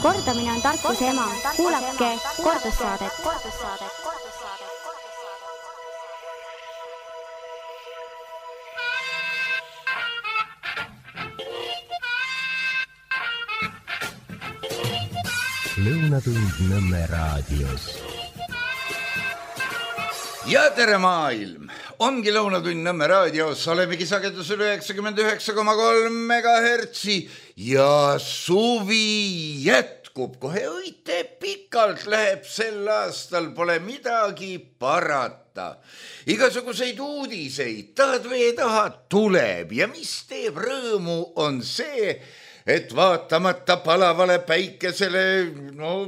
Kordamine on tarkuse ema. Kuulake kordussaadet. Lõunatund Nõmme raadios. Ja tere maailm! Ongi Lõunatund Nõmme raadios, olemegi sagedusel 99,3 MHz ja suvi jätkub. Kohe õite pikalt läheb sel aastal, pole midagi parata. Igasuguseid uudiseid, tahad või ei taha, tuleb ja mis teeb rõõmu on see, et vaatamata palavale päikesele,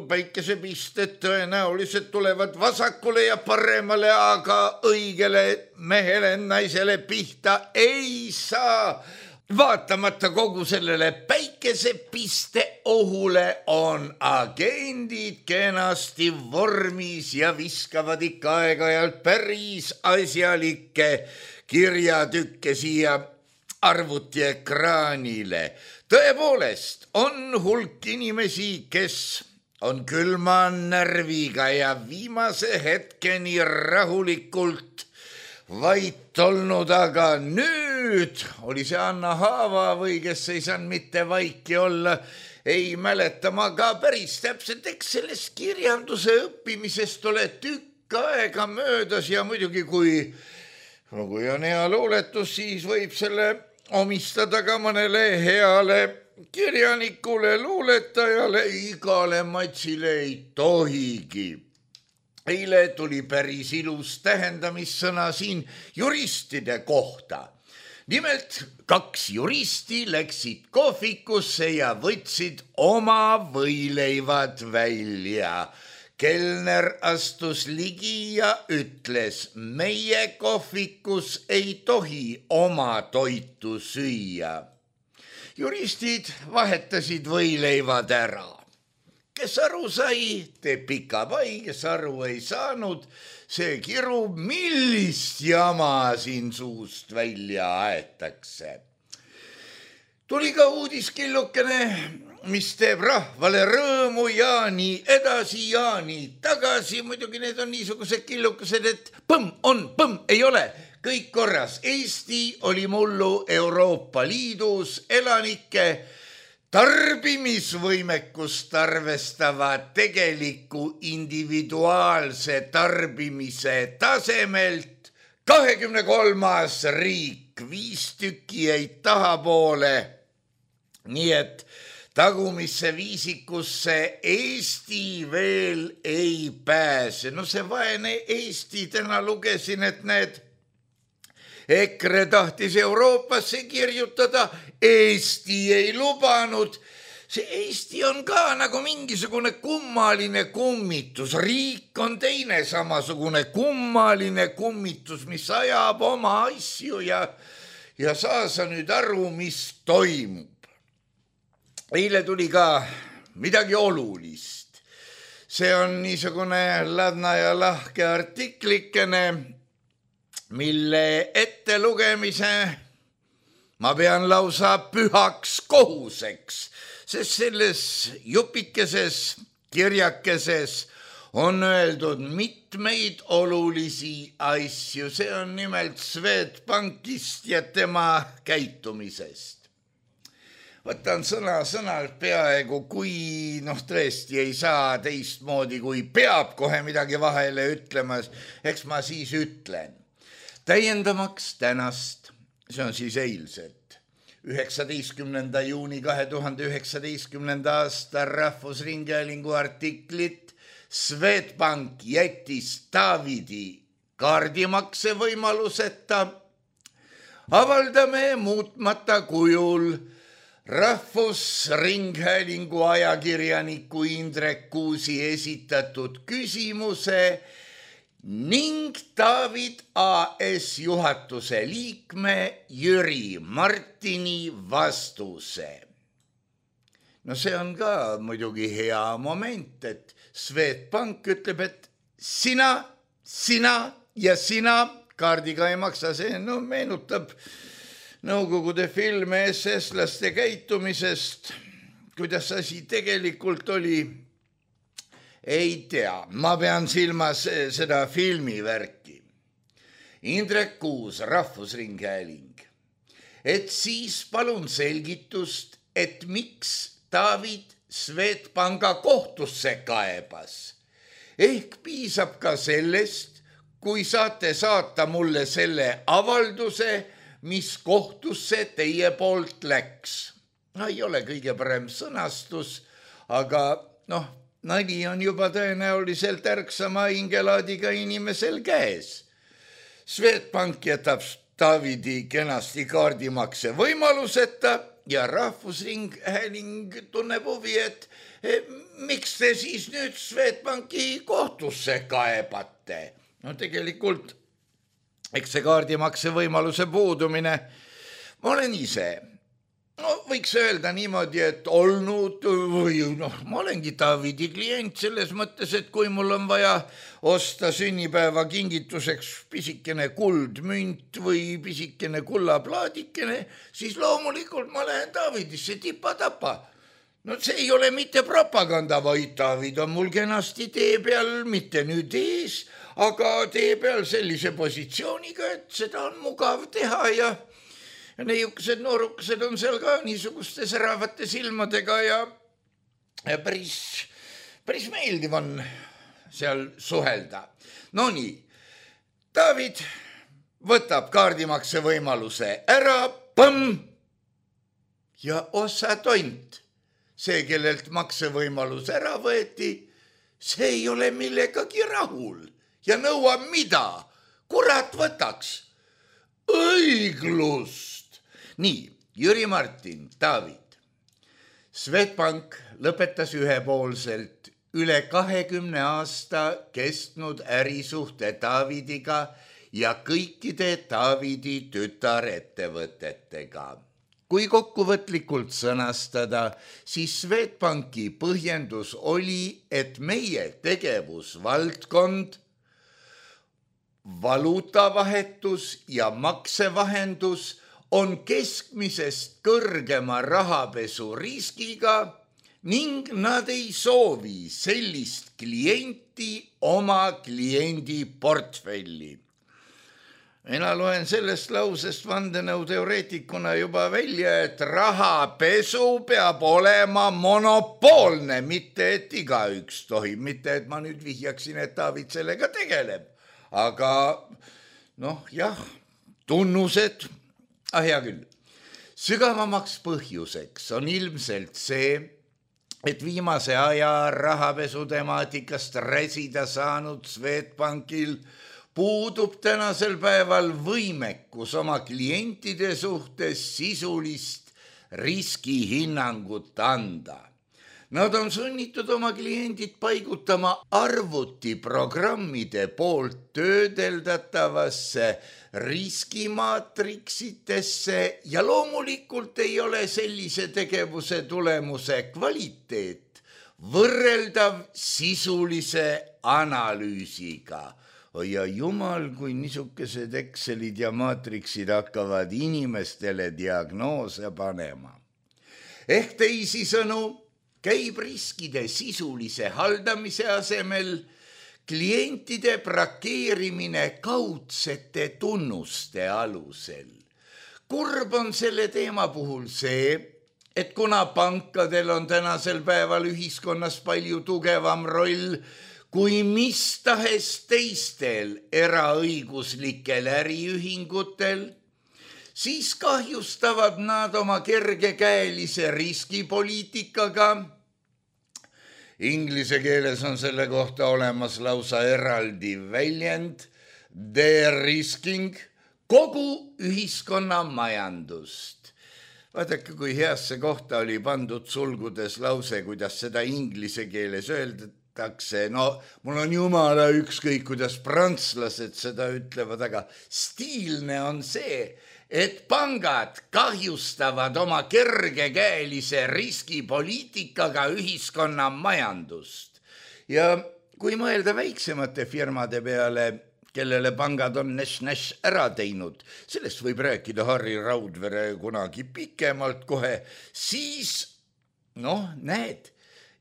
päikesepisted tõenäoliselt tulevad vasakule ja paremale, aga õigele mehele, naisele pihta ei saa. Vaatamata kogu sellele päikesepiste ohule on agendid kenasti vormis ja viskavad ikka aeg-ajalt päris asjalikke kirjatükke siia arvutiekraanile. Tõepoolest on hulk inimesi, kes on külma närviga ja viimase hetkeni rahulikult vait olnud, aga nüüd oli see Anna Haava või kes ei saanud mitte vaiki olla, ei mäleta ma ka päris täpselt, eks sellest kirjanduse õppimisest ole tükk aega möödas ja muidugi kui on hea luuletus, siis võib selle omistada ka mõnele heale kirjanikule, luuletajale, igale matsile ei tohigi. Eile tuli päris ilus tähendamissõna siin juristide kohta. Nimelt 2 juristi läksid kohvikusse ja võtsid oma võileivad välja. Kelner astus ligi ja ütles, meie kohvikus ei tohi oma toitu süüa. Juristid vahetasid võileivad ära. Kes aru sai, teeb pika pai, kes aru ei saanud, see kirub, millist jama siin suust välja aetakse. Tuli ka uudiskillukene, mis teeb rahvale rõõmu ja nii edasi ja nii tagasi. Muidugi need on niisugused killukesed, et põmm, ei ole, kõik korras. Eesti oli mullu Euroopa Liidus elanike tarbimisvõimekust arvestava tegeliku individuaalse tarbimise tasemelt 23. riik, 5 tükki jäid tahapoole. Nii et tagumisse viisikusse Eesti veel ei pääse. No see vaene Eesti, täna lugesin, et need EKRE tahtis Euroopasse kirjutada, Eesti ei lubanud. See Eesti on ka nagu mingisugune kummaline kummitus. Riik on teine samasugune kummaline kummitus, mis ajab oma asju ja saa sa nüüd aru, mis toimub. Eile tuli ka midagi olulist. See on niisugune ladna ja lahke artiklikene, mille ettelugemise ma pean lausa pühaks kohuseks, sest selles jupikeses kirjakeses on öeldud mitmeid olulisi asju. See on nimelt Swedbankist ja tema käitumisest. Võtan sõnalt peaaegu, kui tõesti ei saa teistmoodi, kui peab kohe midagi vahele ütlema, eks ma siis ütlen. Täiendamaks tänast, see on siis eilset, 19. juuni 2019. aasta Rahvusringhäälingu artiklit Swedbank jättis Taavidi kaardimakse võimaluseta. Avaldame muutmata kujul Rahvusringhäälingu ajakirjaniku Indrek Kuusi esitatud küsimuse ning Taavid AS juhatuse liikme Jüri Martini vastuse. No see on ka muidugi hea moment, et Swedbank ütleb, et sina ja sina kaardiga ei maksa. See meenutab Nõukogude filme SS-laste käitumisest, kuidas asi tegelikult oli, ei tea. Ma pean silmas seda filmivärki. Indrek Kuus, Rahvusringhääling. Et siis palun selgitust, et miks David Swedbanka kohtusse kaebas. Ehk piisab ka sellest, kui saate saata mulle selle avalduse, mis kohtusse teie poolt läks. No ei ole kõige parem sõnastus, aga nali on juba tõenäoliselt ärksama hingelaadiga inimesel käes. Swedbank jätab Davidi kenasti kaardimakse võimaluseta ja Rahvusringhääling tunneb huvi, et miks te siis nüüd Swedbanki kohtusse kaebate? No tegelikult, eks see kaardimakse võimaluse puudumine, ma olen ise, võiks öelda niimoodi, et olnud või ma olengi Davidi klient selles mõttes, et kui mul on vaja osta sünnipäeva kingituseks pisikene kuldmünt või pisikene kullaplaadikene, siis loomulikult ma lähen Davidisse tipa-tapa. No see ei ole mitte propaganda, vaid David on mul kenasti tee peal, mitte nüüd ees, aga tee peal sellise positsiooniga, et seda on mugav teha ja neiukesed noorukesed on seal ka niisuguste säravate silmadega ja päris meeldiv on seal suhelda. No nii, David võtab kaardimakse võimaluse ära, põmm, ja ossa tont. See, kellelt maksevõimalus ära võeti, see ei ole millegagi rahul ja nõuab mida? Kurat võtaks. Õiglust. Nii, Jüri Martin, David. Swedbank lõpetas ühepoolselt üle 20 aasta kestnud ärisuhte Davidiga ja kõikide Davidi tütarettevõtetega. Kui kokkuvõtlikult sõnastada, siis Swedbanki põhjendus oli, et meie tegevusvaldkond, valuutavahetus ja maksevahendus on keskmisest kõrgema rahapesu riskiga ning nad ei soovi sellist klienti oma kliendi portfelli. Mina loen sellest lausest vandenõuteoreetikuna juba välja, et rahapesu peab olema monopoolne, mitte et igaüks tohib, mitte et ma nüüd vihjaksin, et David sellega tegeleb. Aga jah, tunnused, hea küll. Sügavamaks põhjuseks on ilmselt see, et viimase aja rahapesu temaatikast räsida saanud Swedbankil puudub tänasel päeval võimekus oma klientide suhtes sisulist riskihinnangut anda. Nad on sunnitud oma kliendid paigutama arvutiprogrammide poolt töödeldatavasse riskimaatriksitesse ja loomulikult ei ole sellise tegevuse tulemuse kvaliteet võrreldav sisulise analüüsiga. Ja jumal, kui niisugused Excelid ja maatriksid hakkavad inimestele diagnoose panema. Ehk teisisõnu käib riskide sisulise haldamise asemel klientide brakeerimine kaudsete tunnuste alusel. Kurb on selle teema puhul see, et kuna pankadel on tänasel päeval ühiskonnas palju tugevam roll kui mis tahes teistel eraõiguslikel äriühingutel, siis kahjustavad nad oma kergekäelise riskipoliitikaga. Inglise keeles on selle kohta olemas lausa eraldi väljend, de-risking, kogu ühiskonna majandust. Vaadake, kui heasse kohta oli pandud sulgudes lause, kuidas seda inglise keeles öeldakse. Mul on jumala ükskõik, kuidas prantslased seda ütlevad, aga stiilne on see, et pangad kahjustavad oma kergekäelise riskipoliitikaga ühiskonna majandust. Ja kui mõelda väiksemate firmade peale, kellele pangad on näš ära teinud, sellest võib rääkida Harri Raudvere kunagi pikemalt kohe, siis Noh, näed,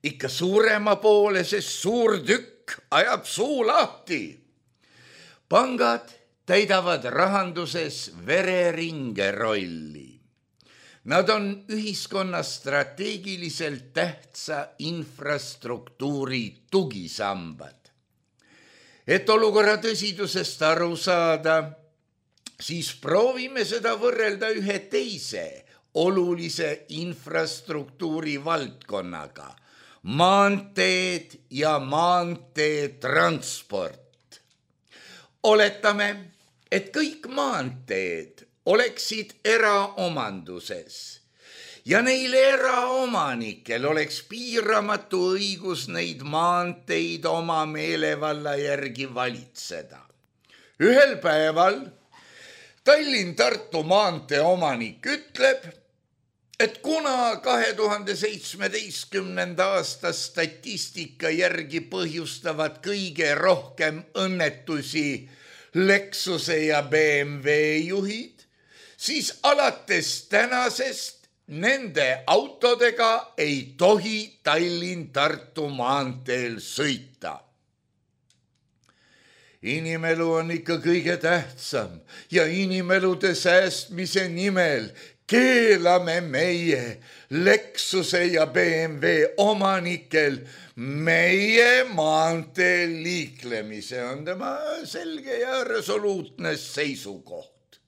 ikka suurema poole, sest suur tükk ajab suu lahti. Pangad täidavad rahanduses vereringe rolli. Nad on ühiskonna strateegiliselt tähtsa infrastruktuuri tugisambad. Et olukorra tõsidusest aru saada, siis proovime seda võrrelda ühe teise olulise infrastruktuuri valdkonnaga, maanteed ja maanteetransport. Oletame, et kõik maanteed oleksid eraomanduses ja neil eraomanikel oleks piiramatu õigus neid maanteid oma meelevalla järgi valitseda. Ühel päeval Tallinn-Tartu maantee omanik ütleb, et kuna 2017. aasta statistika järgi põhjustavad kõige rohkem õnnetusi Lexuse ja BMW juhid, siis alates tänasest nende autodega ei tohi Tallinn-Tartu maanteel sõita. Inimelu on ikka kõige tähtsam ja inimelude säästmise nimel keelame meie Lexuse ja BMW omanikel meie maanteel liiklemise, on tema selge ja resoluutne seisukoht.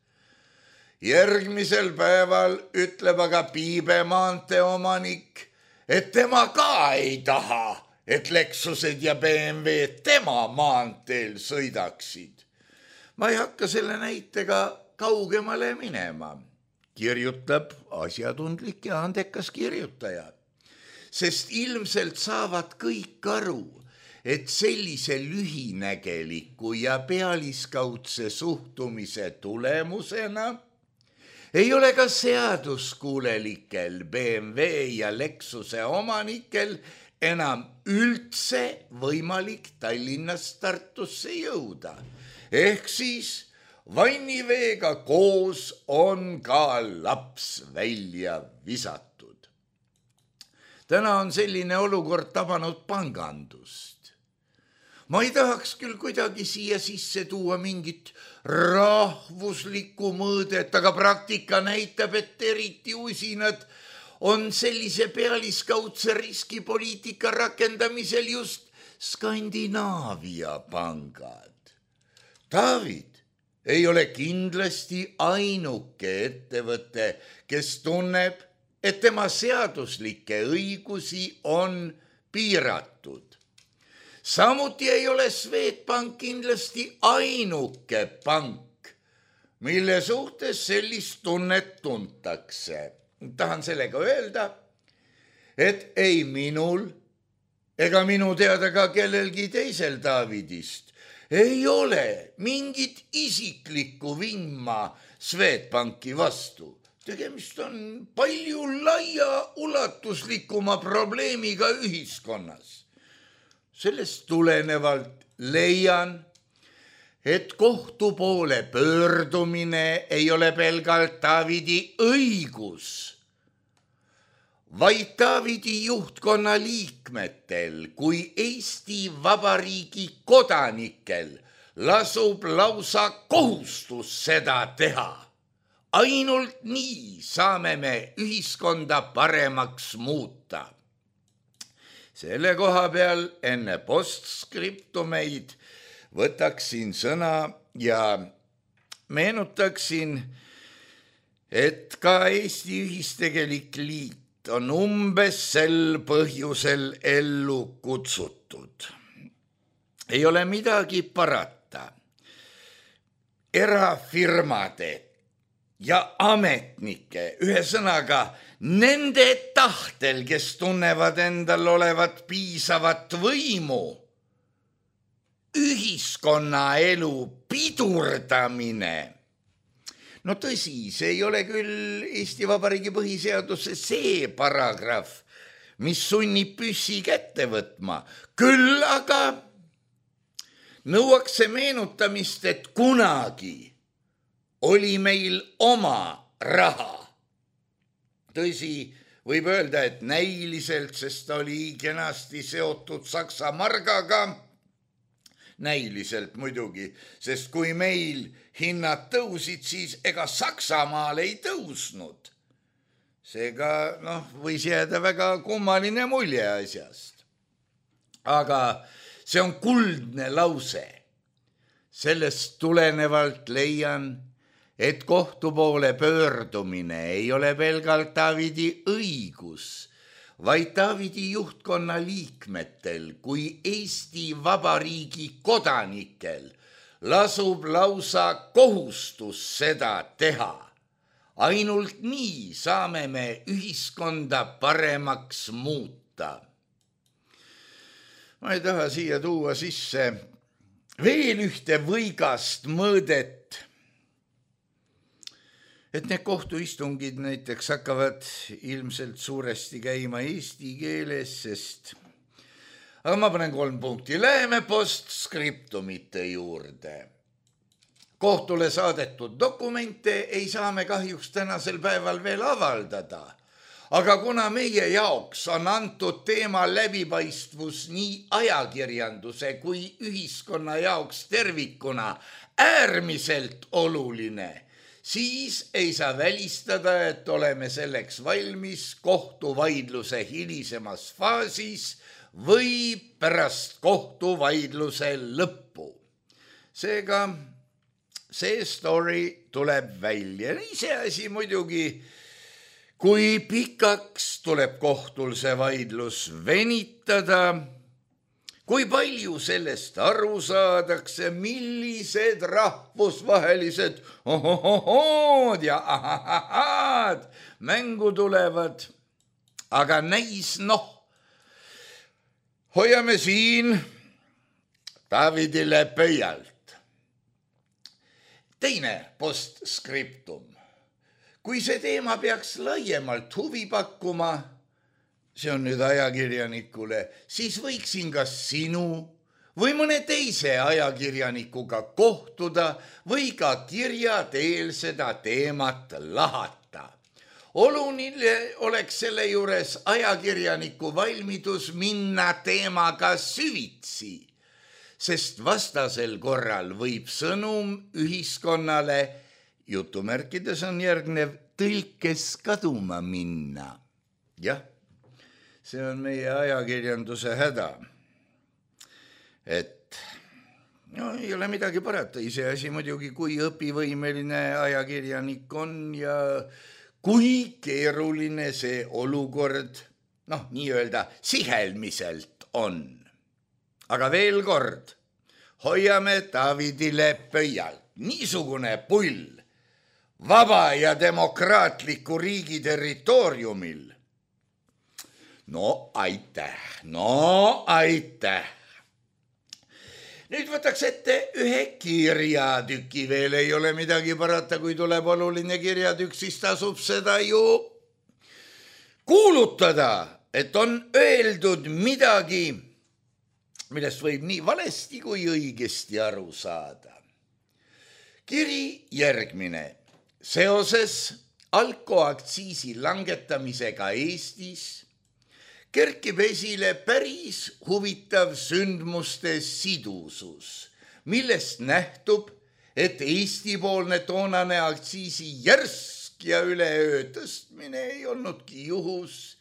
Järgmisel päeval ütleb aga Piibe maantee omanik, et tema ka ei taha, et Lexused ja BMW tema maanteel sõidaksid. Ma ei hakka selle näitega kaugemale minema, kirjutab asjatundlik ja andekas kirjutaja, sest ilmselt saavad kõik aru, et sellise lühinägeliku ja pealiskaudse suhtumise tulemusena ei ole ka seaduskuulelikel BMW ja Lexuse omanikel enam üldse võimalik Tallinnast Tartusse jõuda. Ehk siis vanniveega koos on ka laps välja visatud. Täna on selline olukord tabanud pangandust. Ma ei tahaks küll kuidagi siia sisse tuua mingit rahvuslikku mõõdet, aga praktika näitab, et eriti usinad on sellise pealiskaudse riskipoliitika rakendamisel just Skandinaavia pangad. David ei ole kindlasti ainuke ettevõte, kes tunneb, et tema seaduslikke õigusi on piiratud. Samuti ei ole Swedbank kindlasti ainuke pank, mille suhtes sellist tunnet tuntakse. Tahan sellega öelda, et ei minul ega minu teada ka kellelgi teisel Davidist ei ole mingit isiklikku vimma Swedbanki vastu. Tegemist on palju laiaulatuslikuma probleemiga ühiskonnas. Sellest tulenevalt leian, et kohtu poole pöördumine ei ole pelgalt Davidi õigus, vaid Davidi juhtkonna liikmetel kui Eesti Vabariigi kodanikel lasub lausa kohustus seda teha. Ainult nii saame me ühiskonda paremaks muuta. Selle koha peal enne postskriptumeid võtaksin sõna ja meenutaksin, et ka Eesti Ühistegelik Liit on umbes sel põhjusel ellu kutsutud. Ei ole midagi parata. Erafirmade ja ametnike, ühesõnaga nende tahtel, kes tunnevad endal olevat piisavat võimu, ühiskonnaelu pidurdamine. No tõsi, see ei ole küll Eesti Vabariigi põhiseaduse see paragrahv, mis sunnib püssi kätte võtma. Küll aga nõuaks see meenutamist, et kunagi oli meil oma raha. Tõsi, võib öelda, et näiliselt, sest ta oli kenasti seotud Saksa margaga. Näiliselt muidugi, sest kui meil hinnad tõusid, siis ega Saksamaal ei tõusnud. Seega võis jääda väga kummaline mulje asjast. Aga see on kuldne lause. Sellest tulenevalt leian, et kohtu poole pöördumine ei ole pelgalt Davidi õigus, vaid Davidi juhtkonna liikmetel kui Eesti Vabariigi kodanikel lasub lausa kohustus seda teha. Ainult nii saame me ühiskonda paremaks muuta. Ma ei taha siia tuua sisse veel ühte võigast mõõdet, et need kohtuistungid näiteks hakkavad ilmselt suuresti käima eesti keeles, sest... Aga ma panen 3 punkti. Läheme postskriptumite juurde. Kohtule saadetud dokumente ei saa me kahjuks tänasel päeval veel avaldada, aga kuna meie jaoks on antud teema läbipaistvus nii ajakirjanduse kui ühiskonna jaoks tervikuna äärmiselt oluline, siis ei saa välistada, et oleme selleks valmis kohtuvaidluse hilisemas faasis või pärast kohtuvaidluse lõppu. Seega see story tuleb välja. Iseasi muidugi, kui pikaks tuleb kohtul see vaidlus venitada, kui palju sellest aru saadakse, millised rahvusvahelised ohohohood ja ahahahad mängu tulevad. Aga näis hoiame siin Davidile pöialt. Teine postskriptum. Kui see teema peaks laiemalt huvi pakkuma, see on nüüd ajakirjanikule, siis võiksin kas sinu või mõne teise ajakirjanikuga kohtuda või ka kirja teel seda teemat lahata. Oluline oleks selle juures ajakirjaniku valmidus minna teemaga süvitsi, sest vastasel korral võib sõnum ühiskonnale, jutumärkides on järgnev, tõlkes kaduma minna. Jah, see on meie ajakirjanduse häda. Et ei ole midagi parata, iseasi muidugi, kui õpivõimeline ajakirjanik on ja kui keeruline see olukord, nii-öelda sihelmiselt on. Aga veel kord, hoiame Davidile pöialt. Niisugune pull vaba ja demokraatliku riigi territooriumil. Aitäh. Nüüd võtaks ette ühe kirjatüki, veel ei ole midagi parata, kui tuleb oluline kirjatükk, siis tasub seda ju kuulutada, et on öeldud midagi, millest võib nii valesti kui õigesti aru saada. Kiri järgmine. Seoses alkoaktsiisi langetamisega Eestis kerkib esile päris huvitav sündmuste sidusus, millest nähtub, et Eesti-poolne toonane aktsiisi järsk ja üleöö tõstmine ei olnudki juhus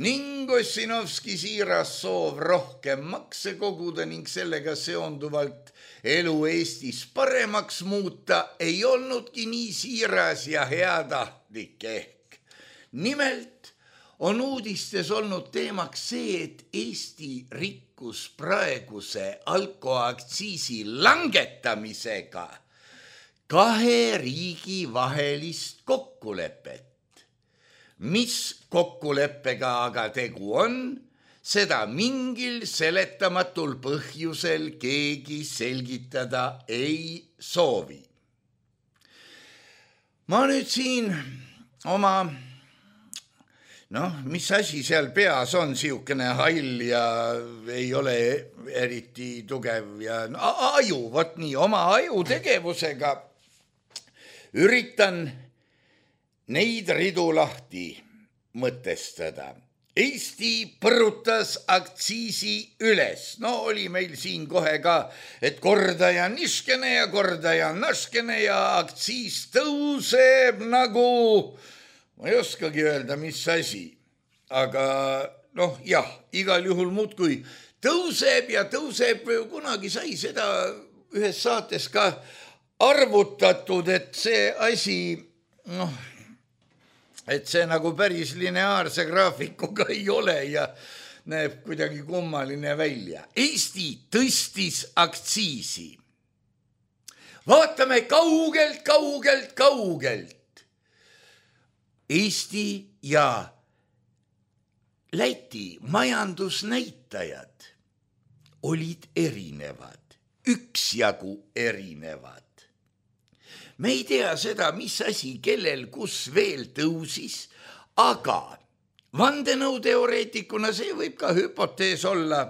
ning Ossinovski siiras soov rohkem makse koguda ning sellega seonduvalt elu Eestis paremaks muuta ei olnudki nii siiras ja heatahtlik ehk. Nimelt on uudistes olnud teemaks see, et Eesti rikkus praeguse alkoaktsiisi langetamisega 2 riigi vahelist kokkulepet. Mis kokkuleppega aga tegu on, seda mingil seletamatul põhjusel keegi selgitada ei soovi. Ma nüüd siin oma, mis asi seal peas on, siukene hall ja ei ole eriti tugev ja aju, vot nii, oma aju tegevusega üritan neid ridu lahti mõtestada. Eesti põrutas aktsiisi üles. No oli meil siin kohe ka, et kordaja niškene ja kordaja naškene ja aktsiis tõuseb nagu, ma ei oskagi öelda, mis asi. Aga jah, igal juhul muudkui tõuseb ja tõuseb. Kunagi sai seda ühes saates ka arvutatud, et see asi, et see nagu päris lineaarse graafikuga ei ole ja näeb kuidagi kummaline välja. Eesti tõstis aktsiisi. Vaatame kaugelt. Eesti ja Läti majandusnäitajad olid erinevad, üksjagu erinevad. Me ei tea seda, mis asi, kellel, kus veel tõusis, aga vandenõuteoreetikuna see võib ka hüpotees olla.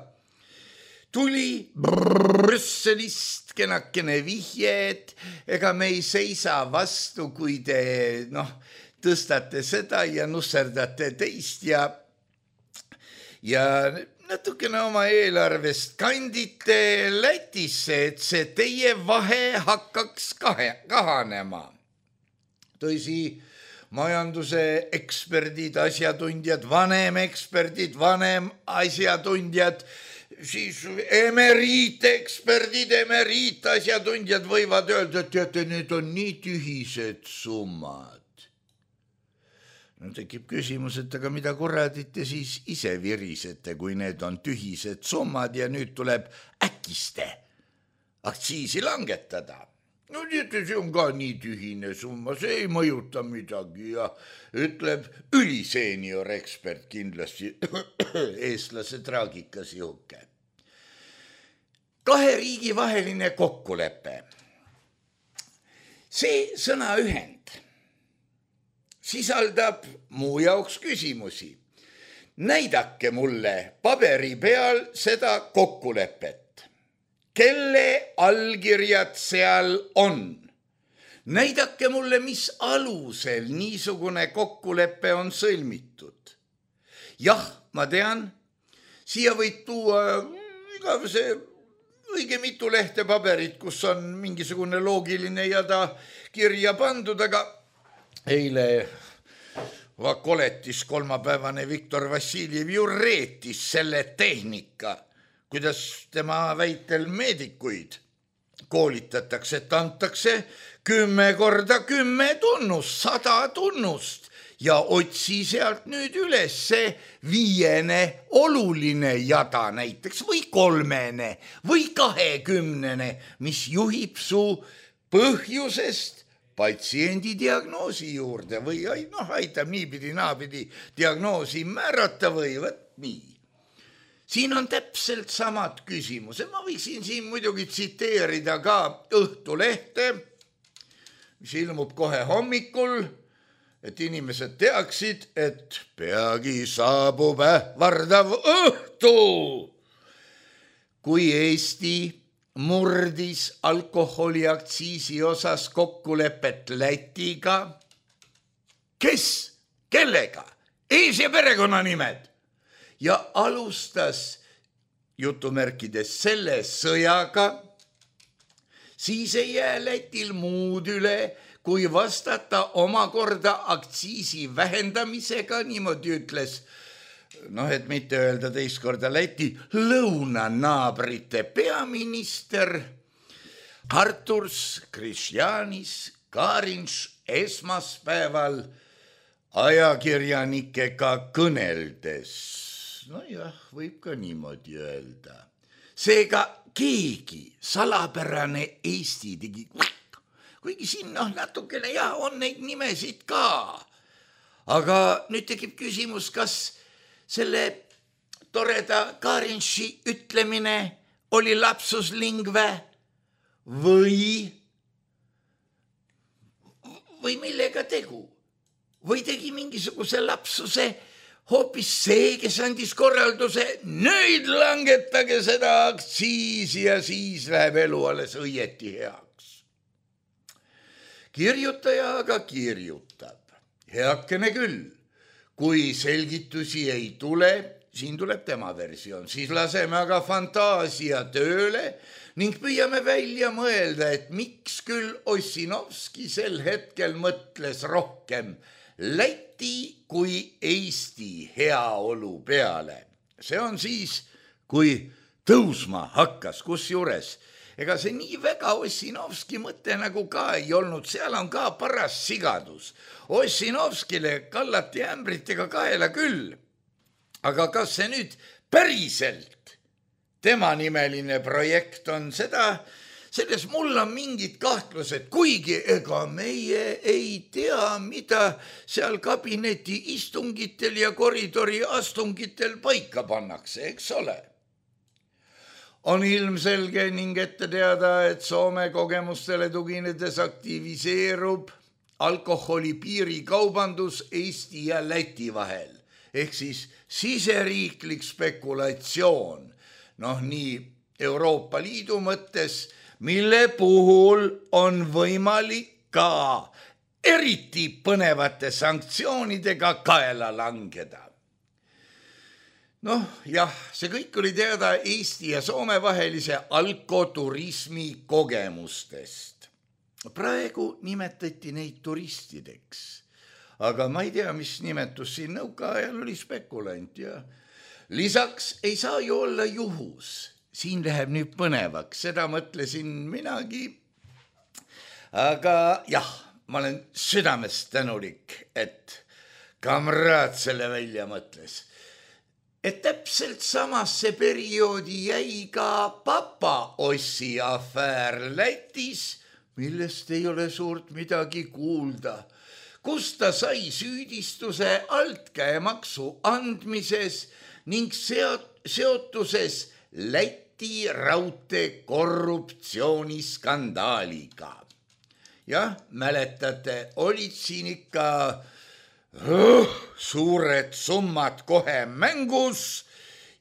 Tuli Brüsselist kenakene vihje, et ega me ei seisa vastu, kui te tõstate seda ja nusserdate teist ja natukene oma eelarvest kandite Lätisse, et see teie vahe hakkaks kahanema. Tõsi, majanduse eksperdid, asjatundjad, vanem asjatundjad, siis emeriiteksperdid, emeriitasjatundjad võivad öelda, et teate, need on nii tühised summad. Tekib küsimus, et aga mida kuradit te siis ise virisete, kui need on tühised summad ja nüüd tuleb äkiste aktsiisi langetada. Teate, see on ka nii tühine summa, see ei mõjuta midagi ja ütleb üliseenior ekspert kindlasti eestlase traagikas juhuke. 2 riigi vaheline kokkulepe. See sõnaühend sisaldab muu jaoks küsimusi. Näidake mulle paberi peal seda kokkulepet. Kelle allkirjad seal on? Näidake mulle, mis alusel niisugune kokkulepe on sõlmitud. Jah, ma tean, siia võid tuua igavese õige mitu lehte paberit, kus on mingisugune loogiline jada kirja pandud, aga eile Vakoletis kolmapäevane Viktor Vassiljev ju reetis selle tehnika, kuidas tema väitel meedikuid koolitatakse, et antakse 10 korda 10 tunnust, 100 tunnust ja otsi sealt nüüd üles see 5 oluline jada näiteks või 3 või 20, mis juhib su põhjusest patsiendi diagnoosi juurde või aitab niipidi naapidi diagnoosi määrata või nii. Siin on täpselt samad küsimused. Ma võiksin siin muidugi tsiteerida ka Õhtulehte, mis ilmub kohe hommikul, et inimesed teaksid, et peagi saabub ähvardav õhtu, kui Eesti murdis alkoholiaktsiisi osas kokkulepet Lätiga. Kes? Kellega? Ees- ja perekonnanimed. Ja alustas jutumärkides selle sõjaga, siis ei jää Lätil muud üle, kui vastata omakorda aktsiisi vähendamisega, niimoodi ütles, et mitte öelda teist korda Läti lõunanaabrite peaminister Arturs Kristjanis Karinš esmaspäeval ajakirjanikega kõneldes. Võib ka niimoodi öelda. Seega keegi salapärane Eesti tegi, kuigi siin natukene on neid nimesid ka. Aga nüüd tekib küsimus, kas selle toreda Karinši ütlemine oli lapsus lingve või millega tegu? Või tegi mingisuguse lapsuse hoopis see, kes andis korralduse, nüüd langetage seda aktsiisi ja siis läheb elu alles õieti heaks. Kirjutaja aga kirjutab, heakene küll. kui selgitusi ei tule, siin tuleb tema versioon, siis laseme aga fantaasia tööle ning püüame välja mõelda, et miks küll Ossinovski sel hetkel mõtles rohkem Läti kui Eesti heaolu peale. See on siis, kui tõusma hakkas, kusjuures ega see nii väga Ossinovski mõte nagu ka ei olnud, seal on ka paras sigadus. Ossinovskile kallati ämbritega kaela küll, aga kas see nüüd päriselt tema nimeline projekt on, selles mul on mingid kahtlused, kuigi ega meie ei tea, mida seal kabineti istungitel ja koridori astungitel paika pannakse, eks ole. On ilmselge ning ette teada, et Soome kogemustele tuginedes aktiviseerub alkoholi piirikaubandus Eesti ja Läti vahel. Ehk siis siseriiklik spekulatsioon, nii Euroopa Liidu mõttes, mille puhul on võimalik ka eriti põnevate sanktsioonidega kaela langeda. Jah, see kõik oli teada Eesti ja Soome vahelise alkoturismi kogemustest. Praegu nimetati neid turistideks, aga ma ei tea, mis nimetus siin nõukaajal oli spekulant ja lisaks ei saa ju olla juhus. Siin läheb nüüd põnevaks, seda mõtlesin minagi, aga jah, ma olen südamest tänulik, et kamraad selle välja mõtles. Et täpselt samasse perioodi jäi ka papa Ossi afäär Lätis, millest ei ole suurt midagi kuulda, kus ta sai süüdistuse altkäemaksu andmises ning seotuses Läti raudtee korruptsiooniskandaaliga. Jah, mäletate, olid siin ikka suured summad kohe mängus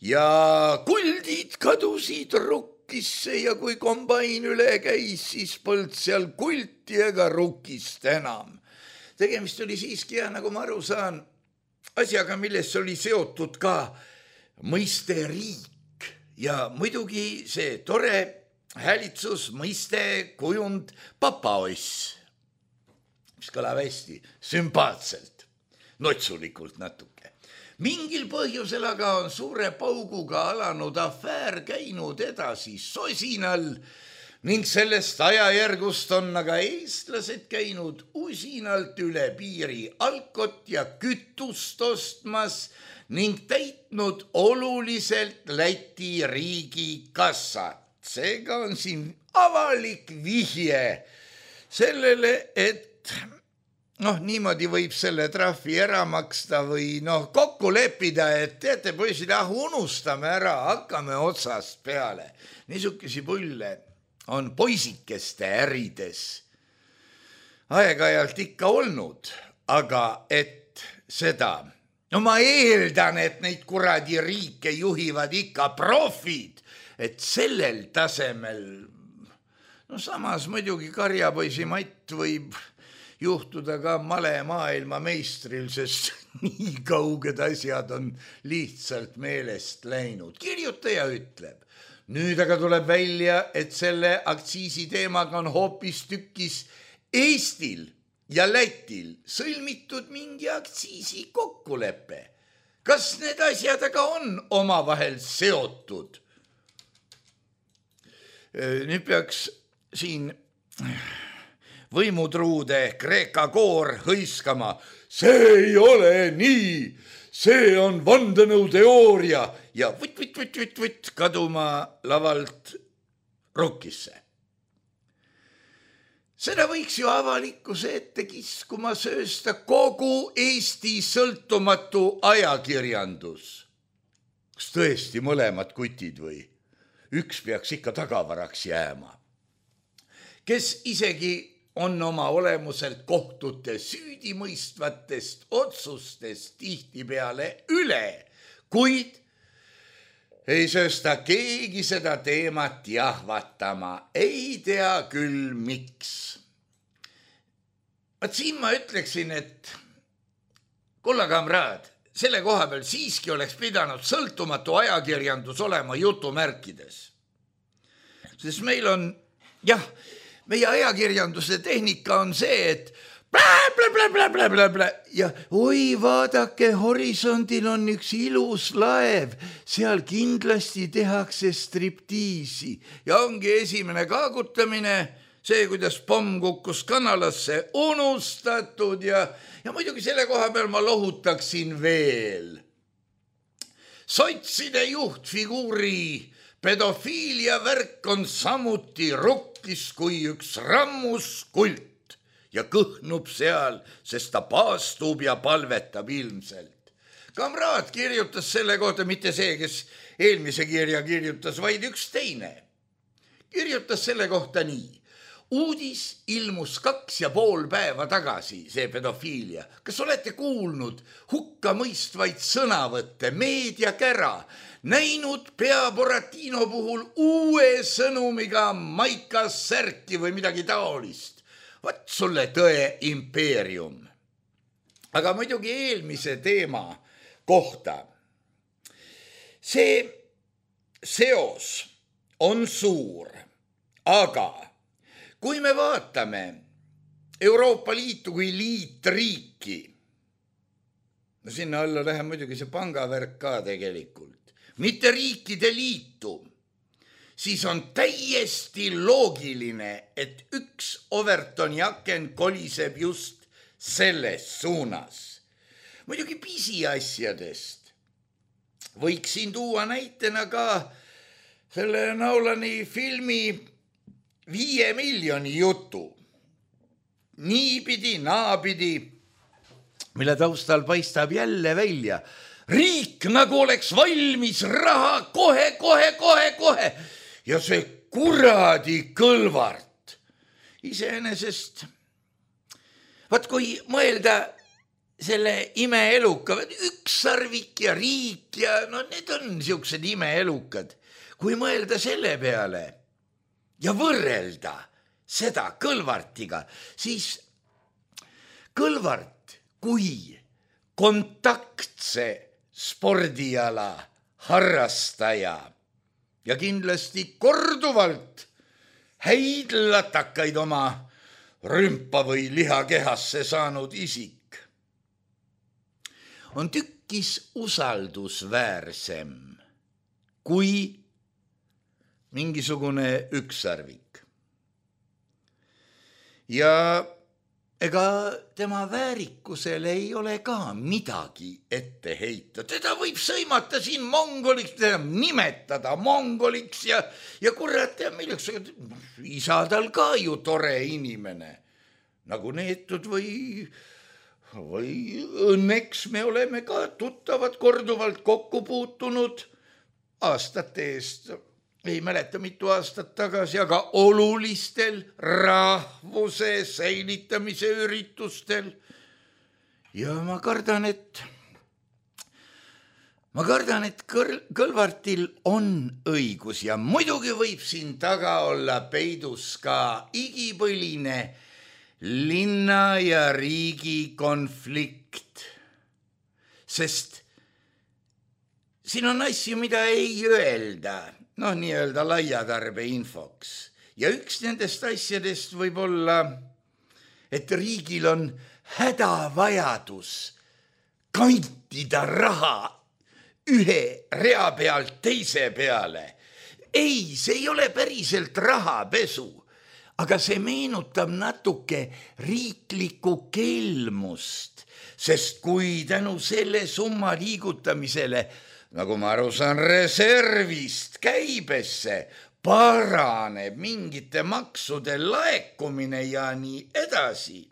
ja kuldid kadusid rukkisse ja kui kombain üle käis, siis polnud seal kulti ega rukkist enam. Tegemist oli siiski, nagu ma aru saan, asjaga, milles oli seotud ka mõiste riik ja muidugi see tore häälitsus, mõiste, kujund papaoss, mis kõlab hästi sümpaatselt. Notsulikult natuke. Mingil põhjusel aga on suure pauguga alanud afäär käinud edasi sosinal ning sellest ajajärgust on aga eestlased käinud usinalt üle piiri alkot ja kütust ostmas ning täitnud oluliselt Läti riigi kassat. Seega on siin avalik vihje sellele, et niimoodi võib selle trahvi ära maksta või kokku leppida, et teate poisid, unustame ära, hakkame otsast peale. Niisuguse pulle on poisikeste ärides aeg-ajalt ikka olnud, aga et seda, ma eeldan, et neid kuradi riike juhivad ikka profid, et sellel tasemel, samas muidugi karjapoisi Matt võib juhtuda ka male maailma meistril, sest nii kauged asjad on lihtsalt meelest läinud. Kirjutaja ütleb, nüüd aga tuleb välja, et selle aktsiisi teemaga on hoopis tükis Eestil ja Lätil sõlmitud mingi aktsiisi kokkulepe. Kas need asjad aga on omavahel seotud? Nüüd peaks siin võimutruude Kreeka koor hõiskama. See ei ole nii, see on vandenõuteooria ja võtt kaduma lavalt rukkisse. Seda võiks ju avalikkuse ette kiskuma söösta kogu Eesti sõltumatu ajakirjandus. Kas tõesti mõlemad kutid või? Üks peaks ikka tagavaraks jääma. Kes isegi on oma olemuselt kohtute süüdimõistvatest otsustest tihtipeale üle, kuid ei söösta keegi seda teemat jahvatama, ei tea küll miks. Siin ma ütleksin, et Kulla kamraad, selle koha peal siiski oleks pidanud sõltumatu ajakirjandus olema jutumärkides. Sest meil on, jah, meie ajakirjanduse tehnika on see, et ja oi, vaadake, horisondil on üks ilus laev, seal kindlasti tehakse striptiisi ja ongi esimene kaagutamine, see, kuidas pomm kukkus kanalasse, unustatud ja muidugi selle koha peal ma lohutaksin veel. Sotside juhtfiguuri pedofiilia värk on samuti rukkis kui üks rammuskult ja kõhnub seal, sest ta paastub ja palvetab ilmselt. Kamraad kirjutas selle kohta, mitte see, kes eelmise kirja kirjutas, vaid üks teine. Kirjutas selle kohta nii. Uudis ilmus 2,5 päeva tagasi, see pedofiilia. Kas olete kuulnud hukkamõistvaid sõnavõtte, meediakära, näinud pea Boratino puhul uue sõnumiga Maika särki või midagi taolist? Vat sulle tõe impeerium. Aga muidugi eelmise teema kohta. See seos on suur, aga kui me vaatame Euroopa Liitu kui liitriiki, no sinna alla läheb muidugi see pangavärk ka tegelikult, mitte riikide liitu, siis on täiesti loogiline, et üks Overtoni aken koliseb just selles suunas. Muidugi pisiasjadest. Võiksin tuua näitena ka selle Nolani filmi 5 miljoni jutu. Niipidi, naapidi, mille taustal paistab jälle välja. Riik nagu oleks valmis raha kohe. Ja see kuradi Kõlvart. Iseenesest, vaat kui mõelda selle imeeluka, ükssarvik ja riik ja no need on niisugused imeelukad. Kui mõelda selle peale ja võrrelda seda Kõlvartiga, siis Kõlvart kui kontaktse spordiala harrastaja ja kindlasti korduvalt häid latakaid oma rümpa või lihakehasse saanud isik on tükkis usaldusväärsem kui mingisugune ükssarvik. Ja ega tema väärikusel ei ole ka midagi ette heita. Teda võib sõimata siin mongoliks, teda nimetada mongoliks ja kurat, milleks isa tal ka ju tore inimene. Nagu neetud või õnneks me oleme ka tuttavad korduvalt kokku puutunud aastate eest. Ei mäleta mitu aastat tagasi, aga olulistel rahvuse säilitamise üritustel. Ja ma kardan, et Kõlvartil on õigus ja muidugi võib siin taga olla peidus ka igipõline linna ja riigi konflikt. Sest siin on asju, mida ei öelda. No nii-öelda laiatarbe infoks. Ja üks nendest asjadest võib olla, et riigil on hädavajadus kantida raha ühe rea pealt teise peale. Ei, see ei ole päriselt rahapesu, aga see meenutab natuke riiklikku kelmust, sest kui tänu selle summa liigutamisele nagu ma aru saan, reservist käibesse paraneb mingite maksude laekumine ja nii edasi,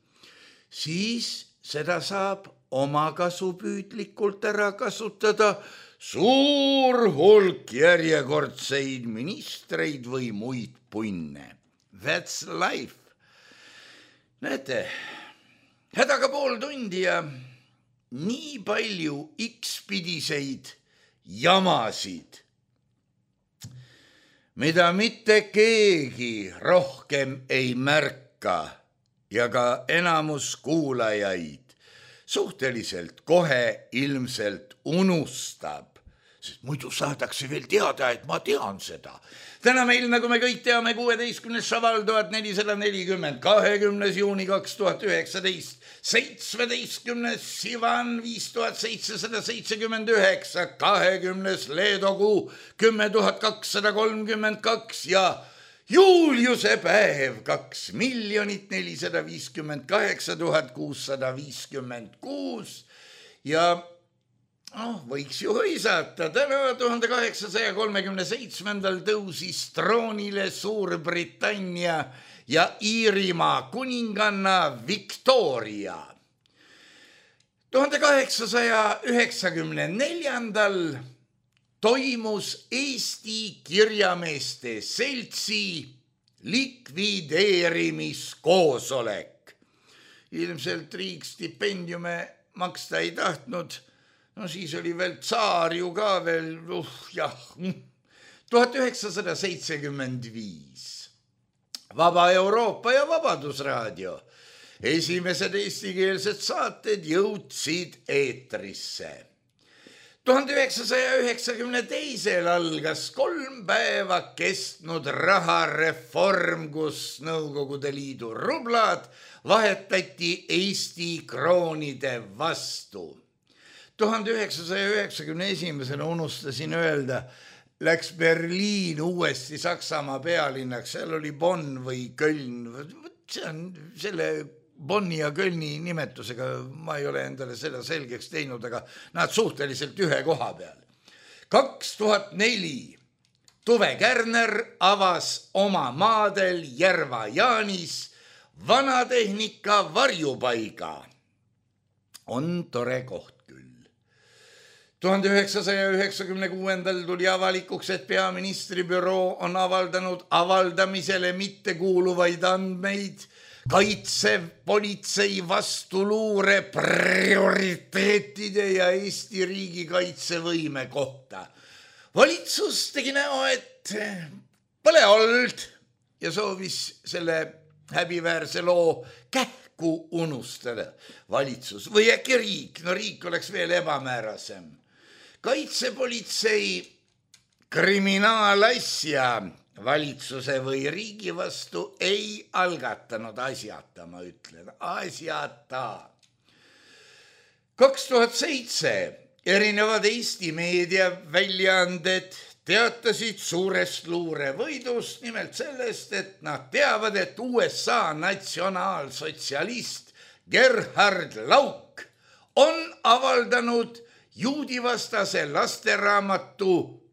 siis seda saab omakasupüüdlikult ära kasutada suur hulk järjekordseid ministreid või muid punne. That's life. Näete, hädaga pool tundi ja nii palju X-pidiseid jamasid, mida mitte keegi rohkem ei märka ja ka enamus kuulajaid suhteliselt kohe ilmselt unustab, sest muidu saadakse veel teada, et ma tean seda. Täna meil, nagu me kõik teame, 16. šaval 1440, 20. juuni 2019, 17. sivan 5779, 20. leedokuu 10,232 ja Juuliuse päev 2,458,656 ja võiks ju hõisata. Täna 1837. tõusis troonile Suurbritannia ja Iirimaa kuninganna Victoria. 1894. toimus Eesti kirjameeste seltsi likvideerimiskoosolek. Ilmselt riik stipendiume maksta ei tahtnud. No siis oli veel tsaar ju ka veel, 1975. Vaba Euroopa ja Vabadusraadio. Esimesed eestikeelsed saated jõudsid eetrisse. 1992. algas 3 päeva kestnud rahareform, kus Nõukogude Liidu rublad vahetati Eesti kroonide vastu. 1991. unustasin öelda, läks Berliin uuesti Saksamaa pealinnaks, seal oli Bonn või Köln, see on selle Bonni ja Kölni nimetusega, ma ei ole endale seda selgeks teinud, aga nad suhteliselt ühe koha peal. 2004 Tuve Kärner avas oma maadel Järva-Jaanis vanatehnika varjupaiga. On tore koht. 1996. tuli avalikuks, et peaministri büroo on avaldanud avaldamisele mittekuuluvaid andmeid kaitsepolitsei vastuluure prioriteetide ja Eesti riigi kaitsevõime kohta. Valitsus tegi näo, et pole olnud ja soovis selle häbiväärse loo kähku unustada. Valitsus või äkki riik, no riik oleks veel ebamäärasem. Kaitsepolitsei kriminaalasja valitsuse või riigi vastu ei algatanud asjata, ma ütlen, asjata. 2007 erinevad Eesti meediaväljaanded teatasid suurest luurevõidust, nimelt sellest, et nad teavad, et USA natsionaalsotsialist Gerhard Lauk on avaldanud juudivastase lasteraamatu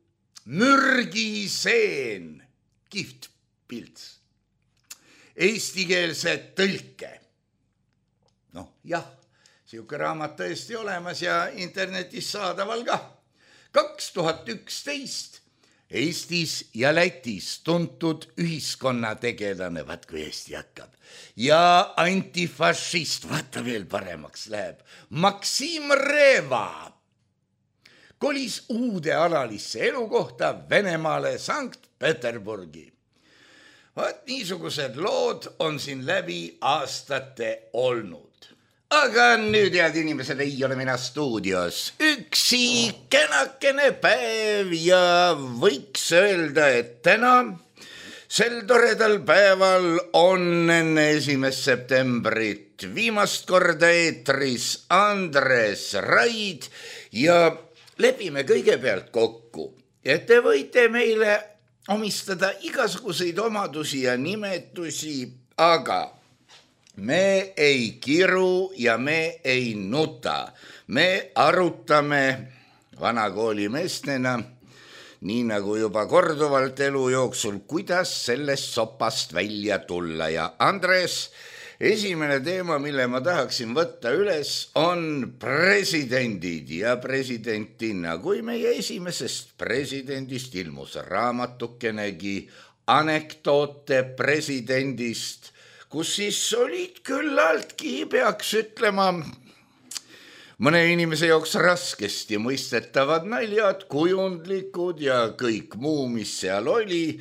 Mürgiseen, kihvt pilts, eestikeelse tõlke. Jah, siuke raamat tõesti olemas ja internetis saadaval ka. 2011 Eestis ja Lätis tuntud ühiskonnategelane, vaat kui Eesti hakkab, ja antifašist, vaata veel paremaks läheb, Maksim Reva kolis uude alalisse elukohta Venemaale Sankt-Peterburgi. Vaat niisugused lood on siin läbi aastate olnud. Aga nüüd, head inimesed, ei ole mina stuudios. Üksi kenakene päev ja võiks öelda, et täna sel toredal päeval on enne 1. septembrit viimast korda eetris Andres Raid ja lepime kõigepealt kokku, et te võite meile omistada igasuguseid omadusi ja nimetusi, aga me ei kiru ja me ei nuta. Me arutame vanakooli meestena, nii nagu juba korduvalt elu jooksul, kuidas sellest sopast välja tulla. Ja Andres, esimene teema, mille ma tahaksin võtta üles, on presidendid ja presidentina. Kui meie esimesest presidendist ilmus raamatukenegi anekdoote presidendist, kus siis olid küllaltki, peaks ütlema, mõne inimese jaoks raskesti mõistetavad naljad, kujundlikud ja kõik muu, mis seal oli.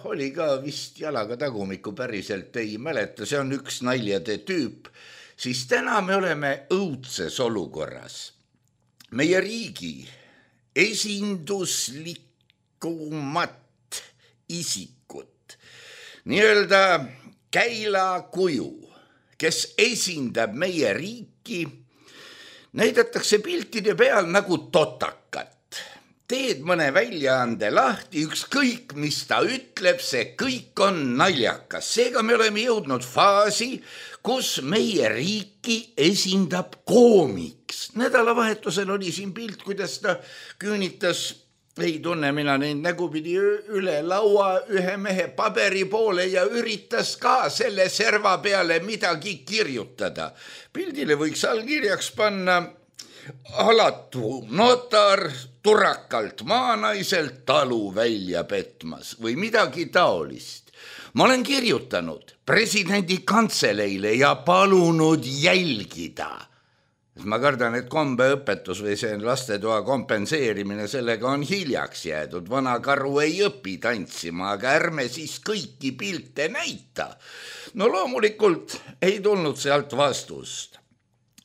Oli ka vist jalaga tagumiku, päriselt ei mäleta, see on üks naljade tüüp. siis täna me oleme õudses olukorras. Meie riigi esinduslikumat isikut, nii-öelda käilakuju, kes esindab meie riiki, näidatakse piltide peal nagu totakat. Teed mõne väljaande lahti, ükskõik mis ta ütleb, see kõik on naljakas. Seega me oleme jõudnud faasi, kus meie riiki esindab koomiks. Nädalavahetusel oli siin pilt, kuidas ta küünitas, ei tunne mina neid nägupidi, üle laua ühe mehe paberi poole ja üritas ka selle serva peale midagi kirjutada. Pildile võiks allkirjaks panna alatu notar turakalt maanaiselt talu välja petmas või midagi taolist. Ma olen kirjutanud presidendi kantseleile ja palunud jälgida. Ma kardan, et kombeõpetus või see lastetoa kompenseerimine, sellega on hiljaks jäädud. Vana karu ei õpi tantsima, aga ärme siis kõiki pilte näita. No loomulikult ei tulnud sealt vastust.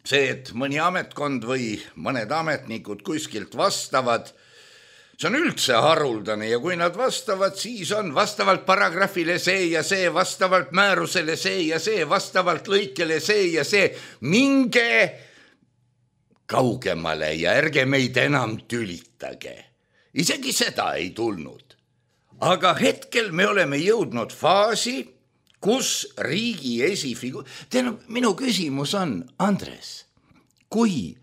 See, et mõni ametkond või mõned ametnikud kuskilt vastavad, see on üldse haruldane ja kui nad vastavad, siis on vastavalt paragrahvile see ja see, vastavalt määrusele see ja see, vastavalt lõikele see ja see. Minge kaugemale ja ärge meid enam tülitage. Isegi seda ei tulnud. Aga hetkel me oleme jõudnud faasi, kus riigi esifigur... Minu küsimus on, Andres, kui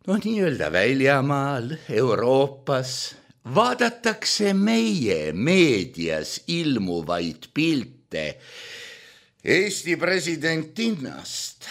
nii-öelda väljamaal, Euroopas vaadatakse meie meedias ilmuvaid pilte Eesti presidentinast,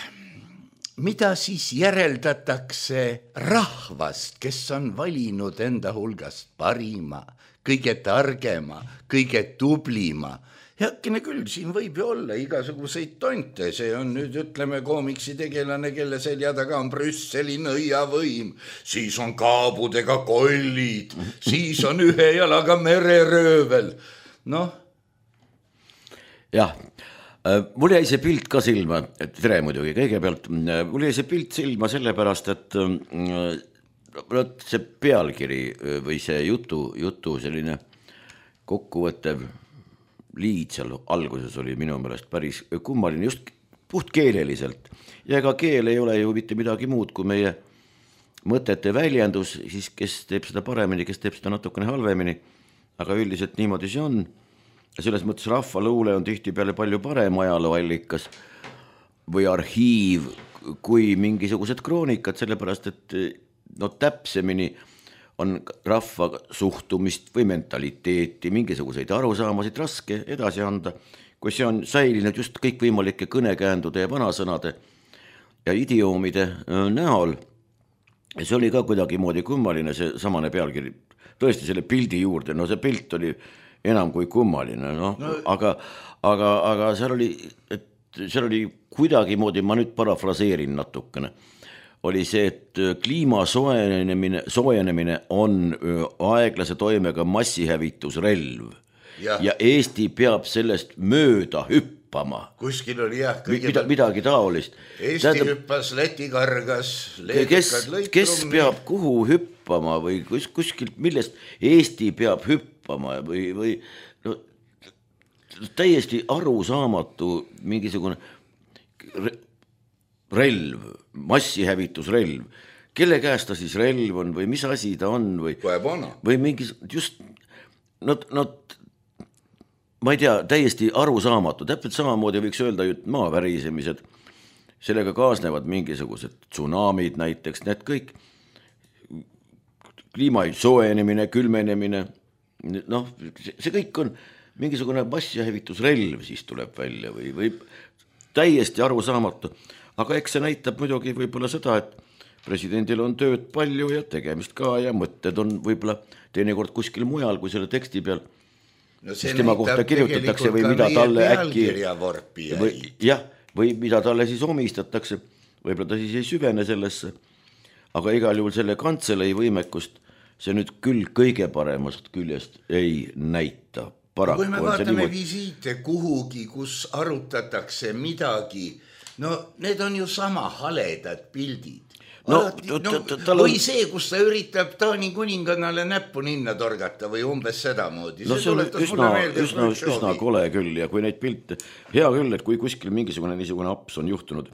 mida siis järeldatakse rahvast, kes on valinud enda hulgast parima, kõige targema, kõige tublima. Heakene küll, siin võib ju olla igasuguseid tonte, see on nüüd, ütleme, koomiksi tegelane, kelle selja taga on Brüsseli nõiavõim, siis on kaabudega kollid, siis on ühe jalaga mereröövel. Jah, mul jäi see pilt ka silma, tere muidugi, kõigepealt, mul jäi see pilt silma sellepärast, et see pealkiri või see jutu selline kokkuvõttev liid seal alguses oli minu meelest päris kummaline, just puht keeleliselt. Ja ega keel ei ole ju mitte midagi muud kui meie mõtete väljendus, siis kes teeb seda paremini, kes teeb seda natukene halvemini, aga üldiselt niimoodi see on. Selles mõttes rahvaluule on tihtipeale palju parem ajalooallikas või arhiiv kui mingisugused kroonikad, sellepärast et täpsemini on rahva suhtumist või mentaliteeti, mingisuguseid arusaamasid raske edasi anda, kui see on säilinud just kõikvõimalike kõnekäändude ja vanasõnade ja idioomide näol. Ja see oli ka kuidagi moodi kummaline, see samane pealkiri, tõesti selle pildi juurde, see pilt oli enam kui kummaline, aga seal oli kuidagi moodi, ma nüüd parafraseerin natukene, oli see, et kliima soojenemine on aeglase toimega massihävitusrelv ja Eesti peab sellest mööda hüppama. Kuskil oli jah, midagi taolist. Eesti hüppas, Läti kargas, kes peab kuhu hüppama või kuskilt, millest Eesti peab hüppama või täiesti arusaamatu mingisugune relv, massihävitusrelv. Kelle käest ta siis relv on või mis asi ta on või mingis just ma ei tea, täiesti arusaamatu. Täpselt samamoodi võiks öelda maavärisemised, sellega kaasnevad mingisugused tsunamid näiteks, need kõik kliima soojenemine, külmenemine, see kõik on mingisugune massihävitusrelv siis tuleb välja või täiesti arusaamatu. Aga eks see näitab muidugi võib-olla seda, et presidendil on tööd palju ja tegemist ka ja mõtted on võib-olla teinekord kuskil mujal kui selle teksti peal. See tema kohta kirjutatakse või mida talle äkki või mida talle siis omistatakse, võib-olla ta siis ei süvene sellesse, aga igal juhul selle kantseleis võimekust see nüüd küll kõige paremast küljest ei näita. Kui me vaatame visiite kuhugi, kus arutatakse midagi no need on ju sama haledad pildid. No, või see, kus ta üritab Taani kuningannale näppu ninna torgata või umbes sedamoodi. No see on üsna kole küll ja kui neid pilte, hea küll, et kui kuskil mingisugune niisugune aps on juhtunud,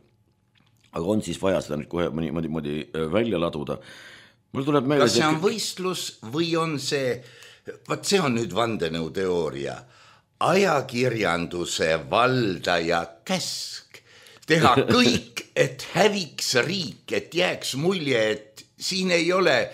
aga on siis vaja seda nüüd kohe mõni välja laduda. Mul tuleb meelde... Kas see on võistlus või on see, vaat see on nüüd vandenõuteooria, ajakirjanduse valdaja käsk teha kõik, et häviks riik, et jääks mulje, et siin ei ole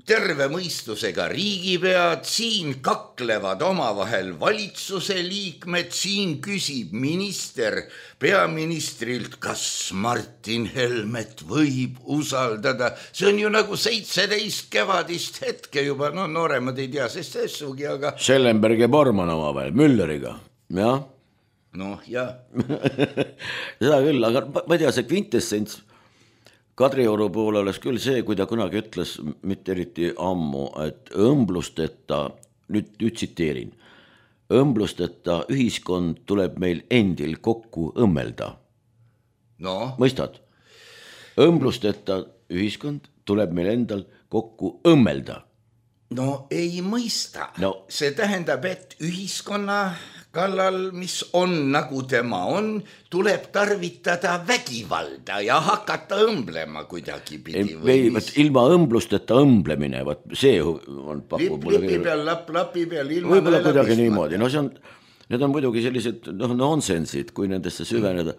terve mõistusega riigipead, siin kaklevad omavahel valitsuse liikmed, siin küsib minister peaministrilt, kas Martin Helmet võib usaldada. See on ju nagu 17 kevadist hetke juba, no nooremad ei tea sest essugi, aga... Schellenberg ja Bormann omavahel, Mülleriga, jah. Noh, jah. Seda küll, aga ma ei tea, see kvintessents Kadrioru poole oleks küll see, kui ta kunagi ütles, mitte eriti ammu, et õmblusteta, nüüd tsiteerin, õmblusteta ühiskond tuleb meil endil kokku õmmelda. No. Mõistad? Õmblusteta ühiskond tuleb meil endal kokku õmmelda. No ei mõista. No. See tähendab, et ühiskonna kallal, mis on nagu tema on, tuleb tarvitada vägivalda ja hakata õmblema kuidagi pidi. Ilma õmblusteta õmblemine, see on pakub. Lipi peal, lapi peal, ilma võib-olla kuidagi niimoodi. No need on muidugi sellised nonsensid, kui nendesse süveneda.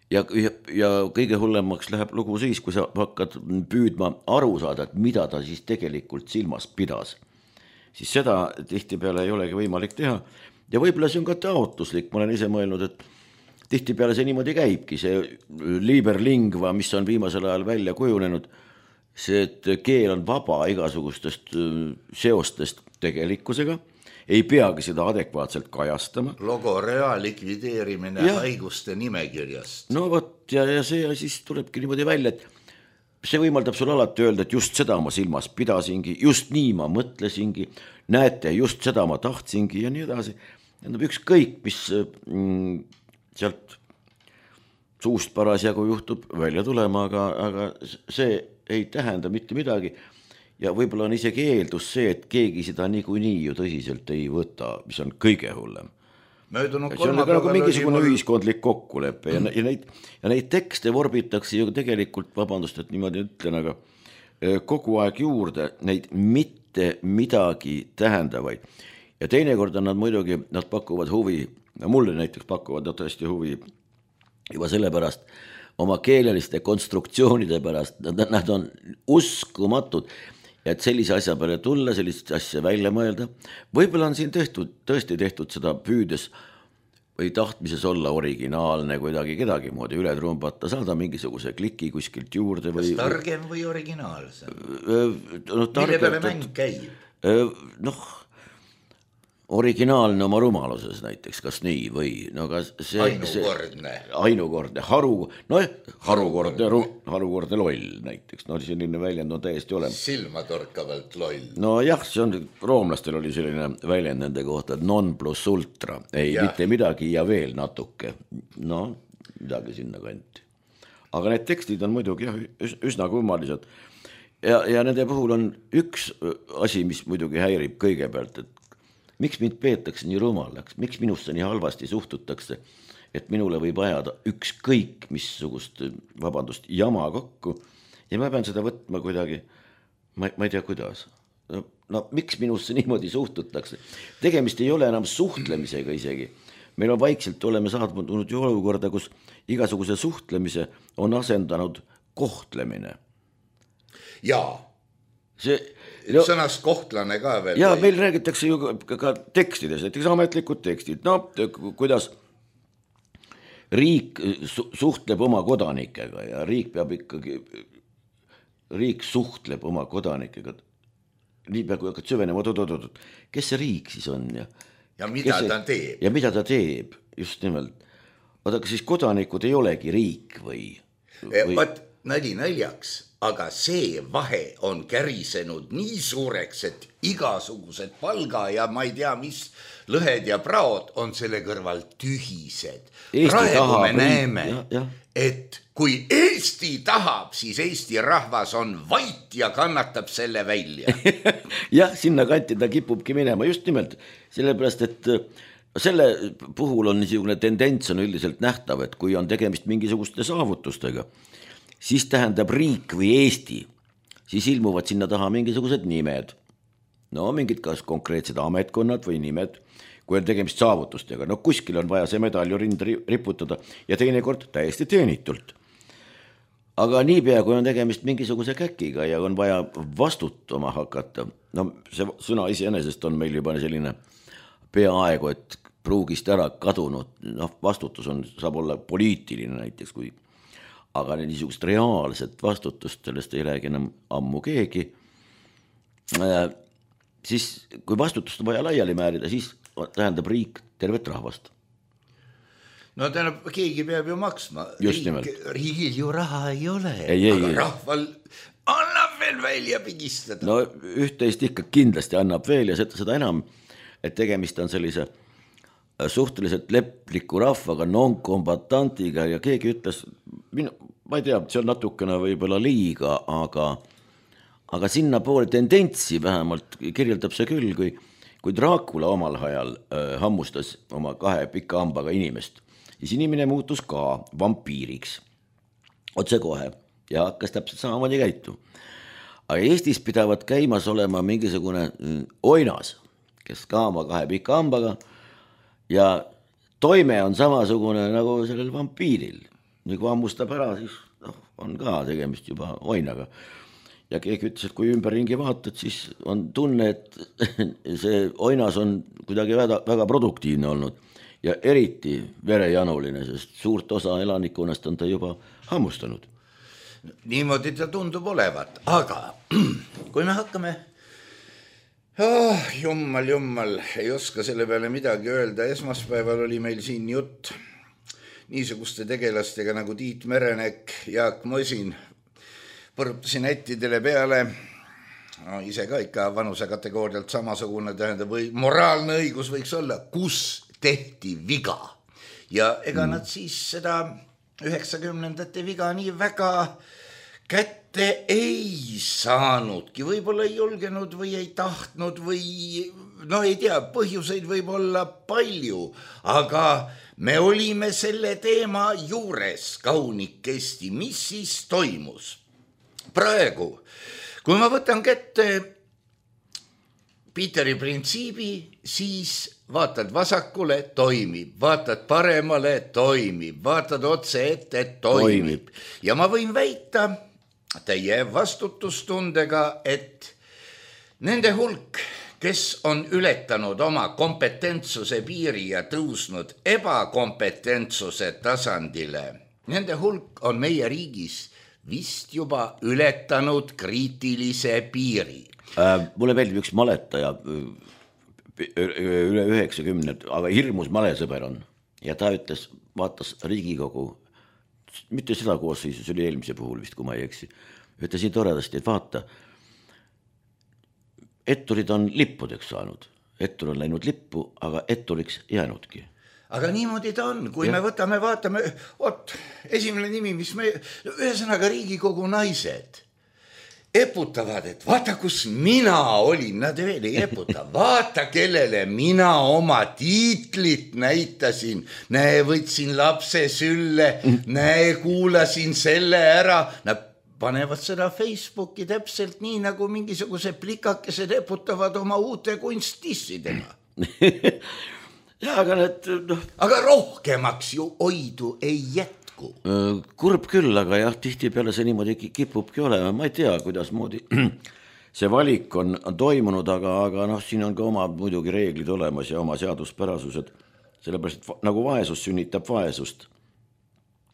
Ja kõige hullemaks läheb lugu siis, kui sa hakkad püüdma aru saada, et mida ta siis tegelikult silmas pidas. Siis seda tihtipeale ei olegi võimalik teha. Ja võib-olla see on ka taotluslik, ma olen ise mõelnud, et tihtipeale see niimoodi käibki, see liberlingva, mis on viimasel ajal välja kujunenud, see, et keel on vaba igasugustest seostest tegelikkusega, ei peagi seda adekvaatselt kajastama. Logorea likvideerimine haiguste nimekirjast. No võt, ja see siis tulebki niimoodi välja, et see võimaldab sul alati öelda, et just seda ma silmas pidasingi, just nii ma mõtlesingi, näete, just seda ma tahtsingi ja nii edasi. Ükskõik, mis sealt suust parasjagu juhtub välja tulema, aga see ei tähenda mitte midagi. Ja võib-olla on isegi eeldus see, et keegi seda niikuinii ju tõsiselt ei võta, mis on kõige hullem. See on nagu mingisugune ühiskondlik kokkulepe ja neid tekste vorbitakse ju tegelikult, vabandust, et niimoodi ütlen, aga kogu aeg juurde neid mitte midagi tähendavaid. Ja teinekord on nad muidugi, nad pakuvad huvi, mulle näiteks pakuvad nad tõesti huvi juba sellepärast, oma keeleliste konstruktsioonide pärast, nad on uskumatud, et sellise asja peale tulla, sellist asja välja mõelda. Võib-olla on siin tõesti tehtud seda püüdes või tahtmises olla originaalne kuidagi kedagi moodi üle trumbata, saada mingisuguse kliki kuskilt juurde. Kas targem või originaalsem? Mille peale mäng käib? Originaalne oma rumaluses näiteks, kas nii või? Ainukordne, harukordne loll näiteks, selline väljend on täiesti olemas. Silmatorkavalt loll. No jah, see on, roomlastel oli selline väljend nende kohta, et non plus ultra, ei mitte midagi ja veel natuke, midagi sinna kanti. Aga need tekstid on muidugi üsna kummalised ja nende puhul on üks asi, mis muidugi häirib kõigepealt, et miks mind peetakse nii rumalaks, miks minusse nii halvasti suhtutakse, et minule võib ajada ükskõik missugust, jama kokku ja ma pean seda võtma kuidagi, ma ei tea kuidas. Miks minusse niimoodi suhtutakse? Tegemist ei ole enam suhtlemisega isegi. Meil on vaikselt oleme saadnud ju olukorda, kus igasuguse suhtlemise on asendanud kohtlemine. Jaa. Sõnast kohtlane ka veel. Ja meil räägitakse ju ka tekstides, näiteks ametlikud tekstid, kuidas riik suhtleb oma kodanikega ja riik peab ikkagi, riik suhtleb oma kodanikega. Nii peab kui hakkad süvenema, kes see riik siis on? Ja mida ta teeb? Ja mida ta teeb, just nimelt. Aga siis kodanikud ei olegi riik või? Vaat nali naljaks. Aga see vahe on kärisenud nii suureks, et igasugused palga ja ma ei tea, mis lõhed ja praod on selle kõrval tühised. Praegu me näeme, et kui Eesti tahab, siis Eesti rahvas on vait ja kannatab selle välja. Jah, sinna kanti ta kipubki minema just nimelt, sellepärast, et selle puhul on niisugune tendents on üldiselt nähtav, et kui on tegemist mingisuguste saavutustega, siis tähendab riik või Eesti, siis ilmuvad sinna taha mingisugused nimed. No mingid kas konkreetsed ametkonnad või nimed, kui on tegemist saavutustega. No kuskil on vaja see medalju rinda riputada ja teinekord täiesti teenitult. Aga niipea, kui on tegemist mingisuguse käkiga ja on vaja vastutama hakata, no see sõna iseenesest on meil juba selline peaaegu, et pruugist ära kadunud, noh vastutus on, saab olla poliitiline näiteks, aga niisugust reaalset vastutust, sellest ei räägi enam ammu keegi, siis kui vastutust on vaja laiali määrida, siis tähendab riik tervet rahvast. No tähendab, keegi peab ju maksma. Riigil ju raha ei ole, aga rahval annab veel välja pigistada. No üht-teist ikka kindlasti annab veel ja seda enam, et tegemist on sellise suhteliselt lepliku rahvaga, non-kombatantiga ja keegi ütles, ma ei tea, see on natukene võib-olla liiga, aga sinna poole tendentsi vähemalt kirjeldab see küll, kui Dracula omal ajal hammustas oma 2 pika hambaga inimest, siis inimene muutus ka vampiiriks otse kohe ja hakkas täpselt samamoodi käituma. Aga Eestis pidavad käimas olema mingisugune oinas, kes ka oma 2 pika hambaga ja toime on samasugune nagu sellel vampiiril. Nii kui hammustab ära, siis on ka tegemist juba oinaga. Ja keegi ütles, et kui ümberringi vaatad, siis on tunne, et see oinas on kuidagi väga produktiivne olnud. Ja eriti verejanuline, sest suurt osa elanikkonnast on ta juba hammustanud. Niimoodi ta tundub olevat, aga kui me hakkame, jummal, ei oska selle peale midagi öelda, esmaspäeval oli meil siin jutt niisuguste tegelastega nagu Tiit Merenek, Jaak Mosin, põrutasin ättidele peale, no, ise ka ikka vanuse kategoorialt samasugune tähendab või moraalne õigus võiks olla, kus tehti viga ja ega nad siis seda 90ndate viga nii väga kätte ei saanudki, võib-olla ei julgenud või ei tahtnud või no ei tea, põhjuseid võib olla palju, aga me olime selle teema juures kaunikesti, mis siis toimus. Praegu, kui ma võtan kätte Peteri printsiibi, siis vaatad vasakule, toimib, vaatad paremale, toimib, vaatad otse ette, toimib. Ja ma võin väita teie vastutustundega, et nende hulk, kes on ületanud oma kompetentsuse piiri ja tõusnud ebakompetentsuse tasandile, nende hulk on meie riigis vist juba ületanud kriitilise piiri. Mulle meeldib üks maletaja üle 90, aga hirmus malesõber on. Ja ta ütles, vaatas Riigikogu, mitte seda koosseisu, see oli eelmise puhul vist, kui ma ei eksi, ütles nii toredasti, et vaata, etturid on lippudeks saanud. Ettur on läinud lippu, aga etturiks jäänudki. Aga niimoodi ta on, kui me vaatame, esimene nimi, mis me, ühesõnaga Riigikogu naised eputavad, et vaata, kus mina olin, nad veel ei eputa, vaata, kellele mina oma tiitlit näitasin, näe, võtsin lapse sülle, näe, kuulasin selle ära, nad panevad seda Facebooki täpselt nii, nagu mingisuguse plikakesed eputavad oma uute kunstissidega. Ja, aga rohkemaks ju oidu ei jätku. Kurb küll, aga jah, tihtipeale see niimoodi kipubki olema, ma ei tea, kuidas moodi see valik on toimunud, aga noh, siin on ka oma muidugi reeglid olemas ja oma seaduspärasused, sellepärast, et nagu vaesus sünnitab vaesust.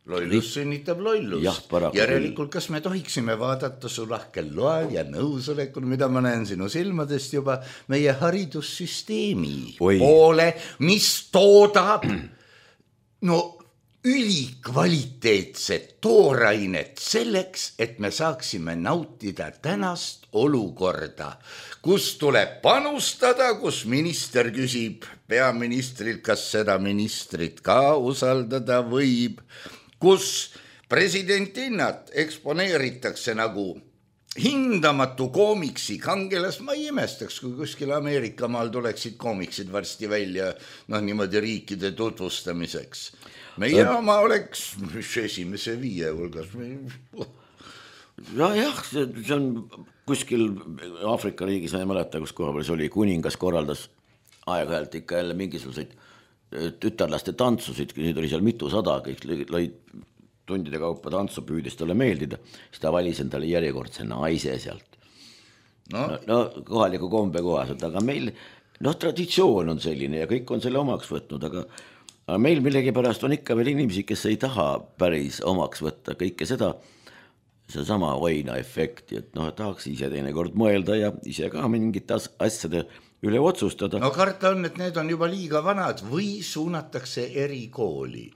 Lollus sünnitab lollust. Järelikult, kas me tohiksime vaadata su lahkel loal ja nõusolekul, mida ma näen sinu silmadest juba, meie haridussüsteemi poole, mis toodab ülikvaliteetset toorainet selleks, et me saaksime nautida tänast olukorda, kus tuleb panustada, kus minister küsib peaministrilt, kas seda ministrit ka usaldada võib, kus Presidentinnat eksponeeritakse nagu hindamatu koomiksi kangelas. Ma ei imestaks, kui kuskil Ameerika maal tuleksid koomiksid varsti välja niimoodi riikide tutvustamiseks. Meie oma oleks esimese 5 hulgas. Jah, see on kuskil Aafrika riigis, ma ei mäleta, kus koha peal see oli, kuningas korraldas aeg-ajalt ikka jälle mingisuguseid tütarlaste tantsusid, neid oli seal mitusada, kõik lõid tundide kaupa tantsu, püüdis talle meeldida, siis ta valis endale järjekordse naise sealt. No kohaliku kombe kohaselt, aga meil traditsioon on selline ja kõik on selle omaks võtnud, aga meil millegipärast on ikka veel inimesi, kes ei taha päris omaks võtta kõike seda, see sama Oina efekti, et tahaks ise teinekord mõelda ja ise ka mingite asjade üle otsustada. No karta on, et need on juba liiga vanad või suunatakse erikooli.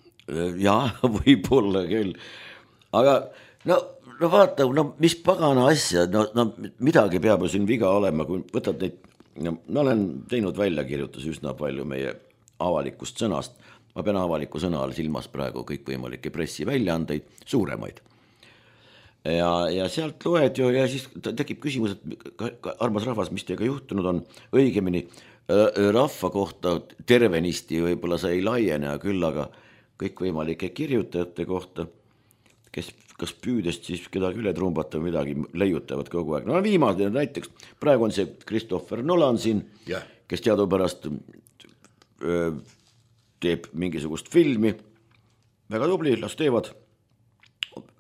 Jaa, võib-olla küll. Aga vaata, mis pagana asja, midagi peab ju siin viga olema, kui võtad neid, ma olen teinud väljakirjutusi üsna palju meie avalikust sõnast, ma pean avaliku sõna all silmas praegu kõikvõimalikke pressiväljaandeid, suuremaid. Ja sealt loed ju ja siis tekib küsimus, et armas rahvas, mis teiega juhtunud on, õigemini rahva kohta tervenisti võib-olla see ei laiene, küll aga kõikvõimalike kirjutajate kohta, kes kas püüdest siis kedagi üle trumbata või midagi leiutavad kogu aeg. Viimane näiteks, praegu on see Christopher Nolan siin, kes teadupärast teeb mingisugust filmi, väga tubli, las teevad.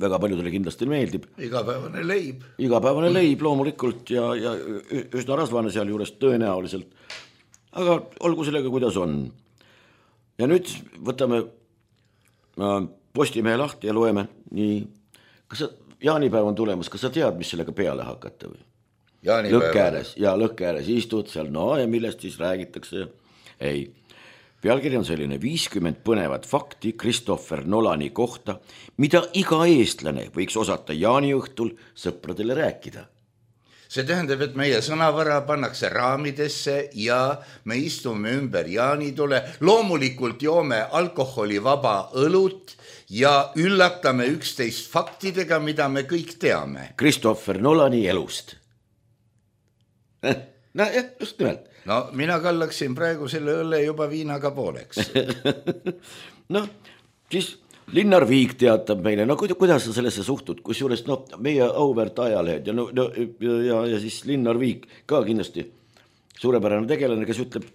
Väga paljudele kindlasti meeldib. Igapäevane leib loomulikult ja üsna rasvane seal juures tõenäoliselt. Aga olgu sellega, kuidas on. Ja nüüd võtame Postimehe lahti ja loeme nii. Kas jaanipäev on tulemas, kas sa tead, mis sellega peale hakata või? Lõkke ääres istud seal, ja millest siis räägitakse? Ei. Pealkiri on selline 50 põnevat fakti Christopher Nolani kohta, mida iga eestlane võiks osata jaaniõhtul sõpradele rääkida. See tähendab, et meie sõnavara pannakse raamidesse ja me istume ümber jaanitule, loomulikult joome alkoholivaba õlut ja üllatame üksteist faktidega, mida me kõik teame. Christopher Nolani elust. Just nimelt. Mina kallaksin praegu selle õlle juba viinaga pooleks. Siis Linnar Viik teatab meile, kuidas sa sellesse suhtud, kus juures meie auväärt ajalehed ja siis Linnar Viik ka kindlasti suurepärane tegelane, kes ütleb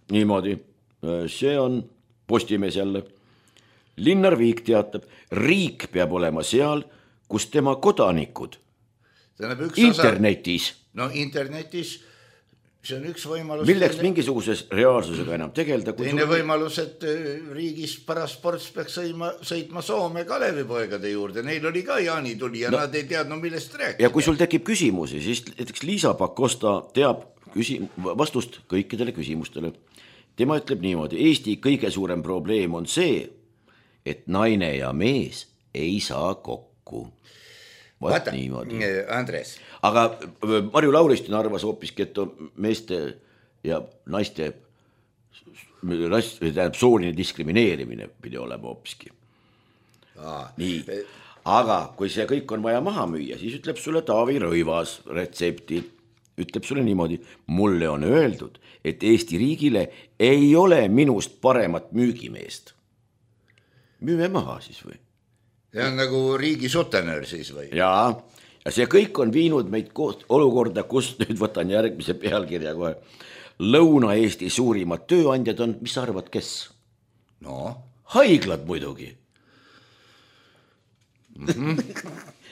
niimoodi, see on Postimees jälle. Linnar Viik teatab, riik peab olema seal, kus tema kodanikud internetis. Internetis see on üks võimalus. Milleks mingisuguses reaalsusega enam tegelda? Teine võimalus, et riigis parasports peaks sõitma Soome Kalevipoegade juurde. Neil oli ka jaanituli ja nad ei teadnud, millest rääkida. Ja kui sul tekib küsimusi, siis näiteks Liisa Pakosta teab vastust kõikidele küsimustele. Tema ütleb niimoodi, Eesti kõige suurem probleem on see, et naine ja mees ei saa kokku. Vaata, Andres. Aga Marju Lauristin arvas hoopiski, et meeste ja naiste sooline diskrimineerimine pidi olema hoopiski. Nii. Aga kui see kõik on vaja maha müüa, siis ütleb sulle Taavi Rõivas retsepti. Ütleb sulle niimoodi, mulle on öeldud, et Eesti riigile ei ole minust paremat müügimeest. Müüme maha siis või? See on nagu riigi sutenöör siis või? Jaa, ja see kõik on viinud meid olukorda, kus nüüd võtan järgmise pealkirja kohe. Lõuna-Eesti suurimad tööandjad on, mis sa arvad, kes? Haiglad muidugi.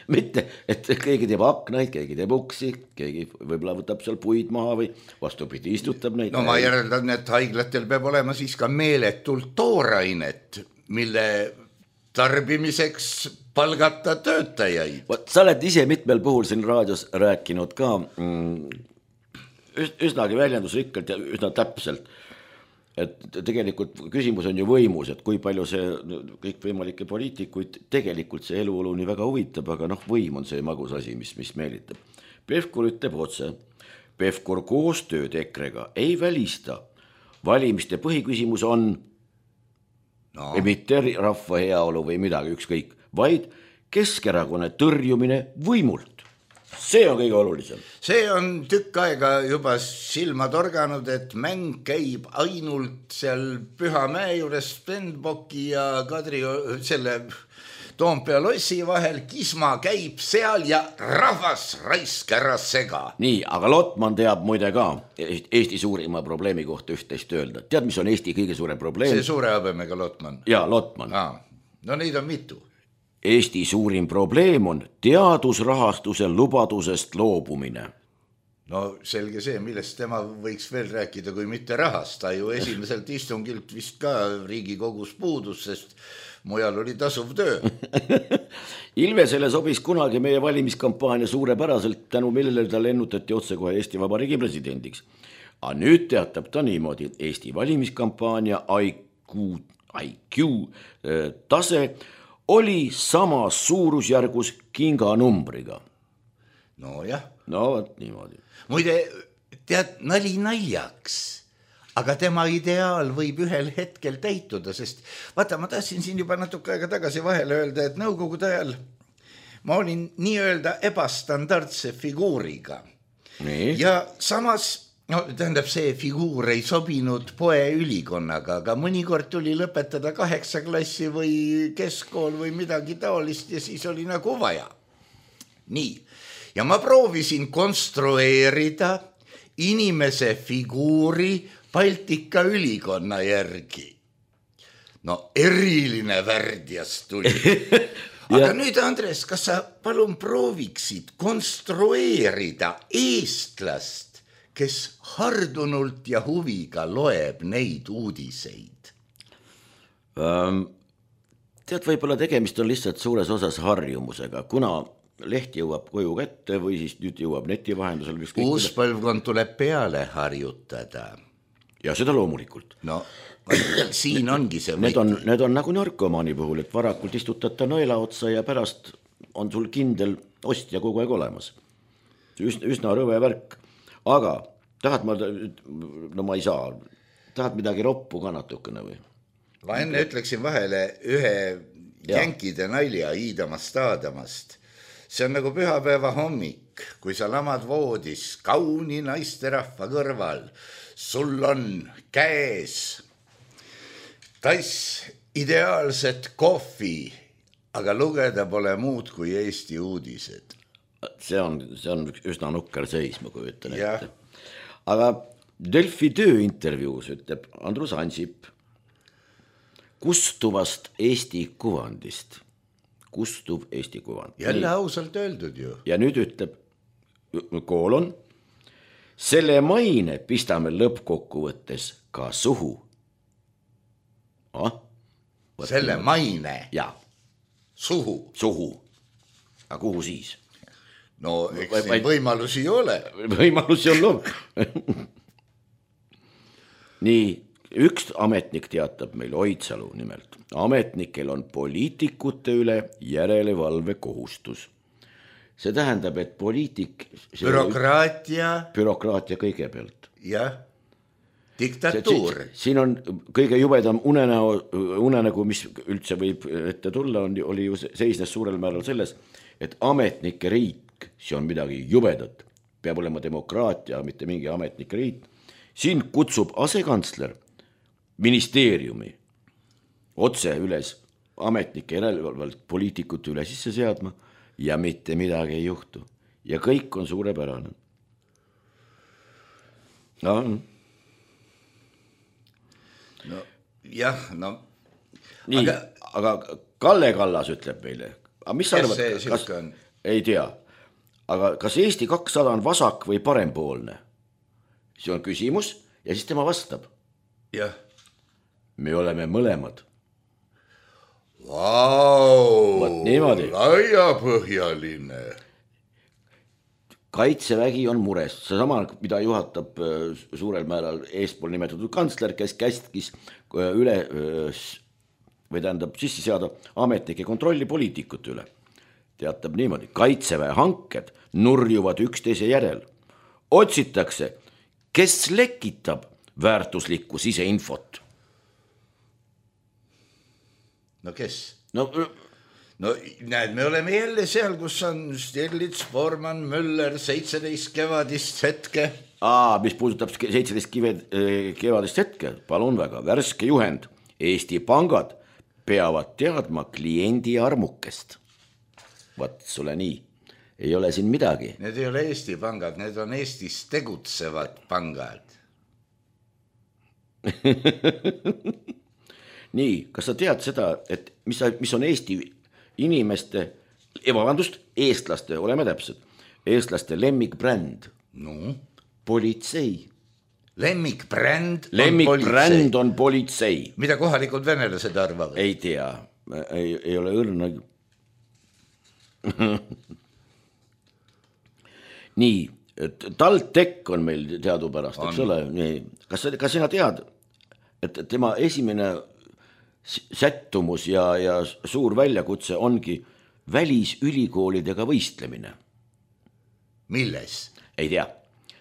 Mitte, et keegi teeb aknaid, keegi teeb uksi, keegi võib-olla võtab seal puid maha või vastupidi istutab neid. Ma järeldan, et haiglatel peab olema siis ka meeletult toorainet, mille tarbimiseks palgata töötajaid. Sa oled ise mitmel puhul siin raadios rääkinud ka üsnagi väljendusrikkalt ja üsna täpselt, et tegelikult küsimus on ju võimus, et kui palju see kõik võimalikke poliitikuid tegelikult see eluolu nii väga huvitab, aga võim on see magus asi, mis meelitab. Pevkur ütleb otse, Pevkur koostööd EKRE-ga ei välista. Valimiste põhiküsimus on mitte rahva heaolu või midagi ükskõik, vaid Keskerakonna tõrjumine võimult. See on kõige olulisem. See on tükk aega juba silma torganud, et mäng käib ainult seal Pühamäe juures Stenbocki ja Kadri selle Toompea lossi vahel, Kisma käib seal ja rahvas raisk ära sega. Nii, aga Lotman teab muide ka Eesti suurima probleemi kohta üht-teist öelda. Tead, mis on Eesti kõige suurem probleem? See suure habemega Lotman. Jaa, Lotman. No neid on mitu. Eesti suurim probleem on teadusrahastuse lubadusest loobumine. No selge see, millest tema võiks veel rääkida, kui mitte rahast. Ta ju esimeselt istungilt vist ka Riigikogus puudus, sest mujal oli tasuv töö. Ilvesele sobis kunagi meie valimiskampaania suurepäraselt, tänu millele ta lennutati otsekohe Eesti Vabariigi presidendiks. Aga nüüd teatab ta niimoodi, et Eesti valimiskampaania IQ tase oli samas suurusjärgus kinganumbriga. No jah. No võt niimoodi. Muide, tead, nali naljaks, aga tema ideaal võib ühel hetkel täituda, sest vaata, ma tahtsin siin juba natuke aega tagasi vahele öelda, et nõukogude ajal ma olin nii-öelda ebastandardse figuuriga. Nii. Ja samas no tähendab, see figuur ei sobinud poeülikonnaga, aga mõnikord tuli lõpetada 8 klassi või keskkool või midagi taolist ja siis oli nagu vaja. Nii, ja ma proovisin konstrueerida inimese figuuri Baltika ülikonna järgi. No eriline värdjast tuli. Aga nüüd, Andres, kas sa palun prooviksid konstrueerida eestlast, kes hardunult ja huviga loeb neid uudiseid? Tead, võib-olla tegemist on lihtsalt suures osas harjumusega, kuna leht jõuab koju kätte või siis nüüd jõuab neti vahendusel. Uus põlvkond tuleb peale harjutada. Ja seda loomulikult. No, siin ongi see need on nagu narkomaani puhul, et varakult istutata nõela otsa ja pärast on sul kindel ostja kogu aeg olemas. Üsna rõve värk. Aga tahad ma ei saa, tahad midagi roppu ka natukene või? Ma enne ütleksin vahele ühe jänkide nalja Iidamast Aadamast. See on nagu pühapäeva hommik, kui sa lamad voodis kauni naisterahva kõrval. Sul on käes tass ideaalset kohvi, aga lugeda pole muud kui Eesti uudised. See on üsna nukker seis, ma kujutan ette. Aga Delfi tööintervjuus ütleb Andrus Ansip kustuvast Eesti kuvandist. Kustuv Eesti kuvand. Jälle ausalt öeldud ju. Ja nüüd ütleb koolon, selle maine pistame lõppkokkuvõttes ka suhu. Selle maine? Ja. Suhu? Suhu. Aga kuhu siis? No eks neid võimalusi ei ole. Võimalusi on loom. Nii, üks ametnik teatab meil Oidsalu nimelt. Ametnikel on poliitikute üle järelevalve kohustus. See tähendab, et poliitik... Bürokraatia kõigepealt. Jah, diktatuur. Siin on kõige jubedam unenägu, mis üldse võib ette tulla, oli ju seisnes suurel määral selles, et ametnike riik, see on midagi jubedat, peab olema demokraatia, mitte mingi ametnike riik. Siin kutsub asekantsler ministeeriumi otse üles ametnike järelevalvalt poliitikute üle sisse seadma ja mitte midagi ei juhtu. Ja kõik on suurepärane. No, jah, no. Nii, aga Kalle Kallas ütleb meile. Mis arvad, kas ei tea, aga kas Eesti 200 on vasak või parempoolne? See on küsimus ja siis tema vastab. Jah. Me oleme mõlemad. Vau, laiapõhjaline. Kaitsevägi on mures. See sama, mida juhatab suurel määral eespool nimetatud kantsler, kes käskis üle või tähendab sisse seada ametnike kontrolli poliitikute üle. Teatab niimoodi, kaitseväe hanked nurjuvad üksteise järel. Otsitakse, kes lekitab väärtuslikku siseinfot. No kes? No no näed, me oleme jälle seal, kus on Stirlitz, Bormann, Müller, 17 kevadist hetke. Mis puudutab 17 kevadist hetke, palun väga, värske juhend. Eesti pangad peavad teadma kliendi armukest. Vaat sulle nii, ei ole siin midagi. Need ei ole Eesti pangad, need on Eestis tegutsevad pangad. Nii, kas sa tead seda, et mis on Eesti inimeste, eestlaste, oleme täpsed, eestlaste lemmikbränd? No? Politsei. Lemmikbränd on politsei. Mida kohalikud venelased arvavad? Ei tea, ei ole õrna. Nii, TalTech on meil teadupärast, eks ole. Kas sina tead, et tema esimene sättumus ja suur väljakutse ongi välisülikoolidega võistlemine? Milles? Ei tea,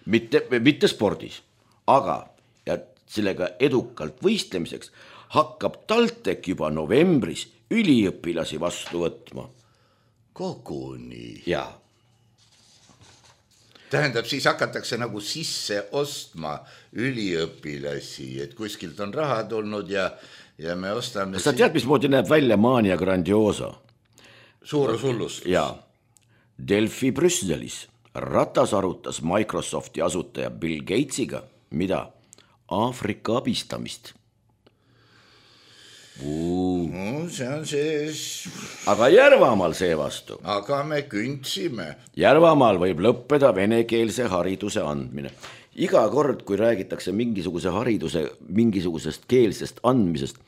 mitte spordis, aga ja sellega edukalt võistlemiseks hakkab TalTech juba novembris üliõpilasi vastu võtma. Koguni. Jaa. Tähendab, siis hakatakse nagu sisse ostma üliõpilasi, et kuskilt on raha tulnud ja me ostame... Kas sa tead, mismoodi näeb välja Mania Grandiosa? Suurushullustus. Jaa. Delfi Brüsselis Ratas arutas Microsofti asutaja Bill Gatesiga, mida? Aafrika abistamist. No, see on see... Aga Järvamaal seevastu. Aga me kündsime. Järvamaal võib lõppeda venekeelse hariduse andmine. Iga kord, kui räägitakse mingisuguse hariduse, mingisugusest keelsest andmisest,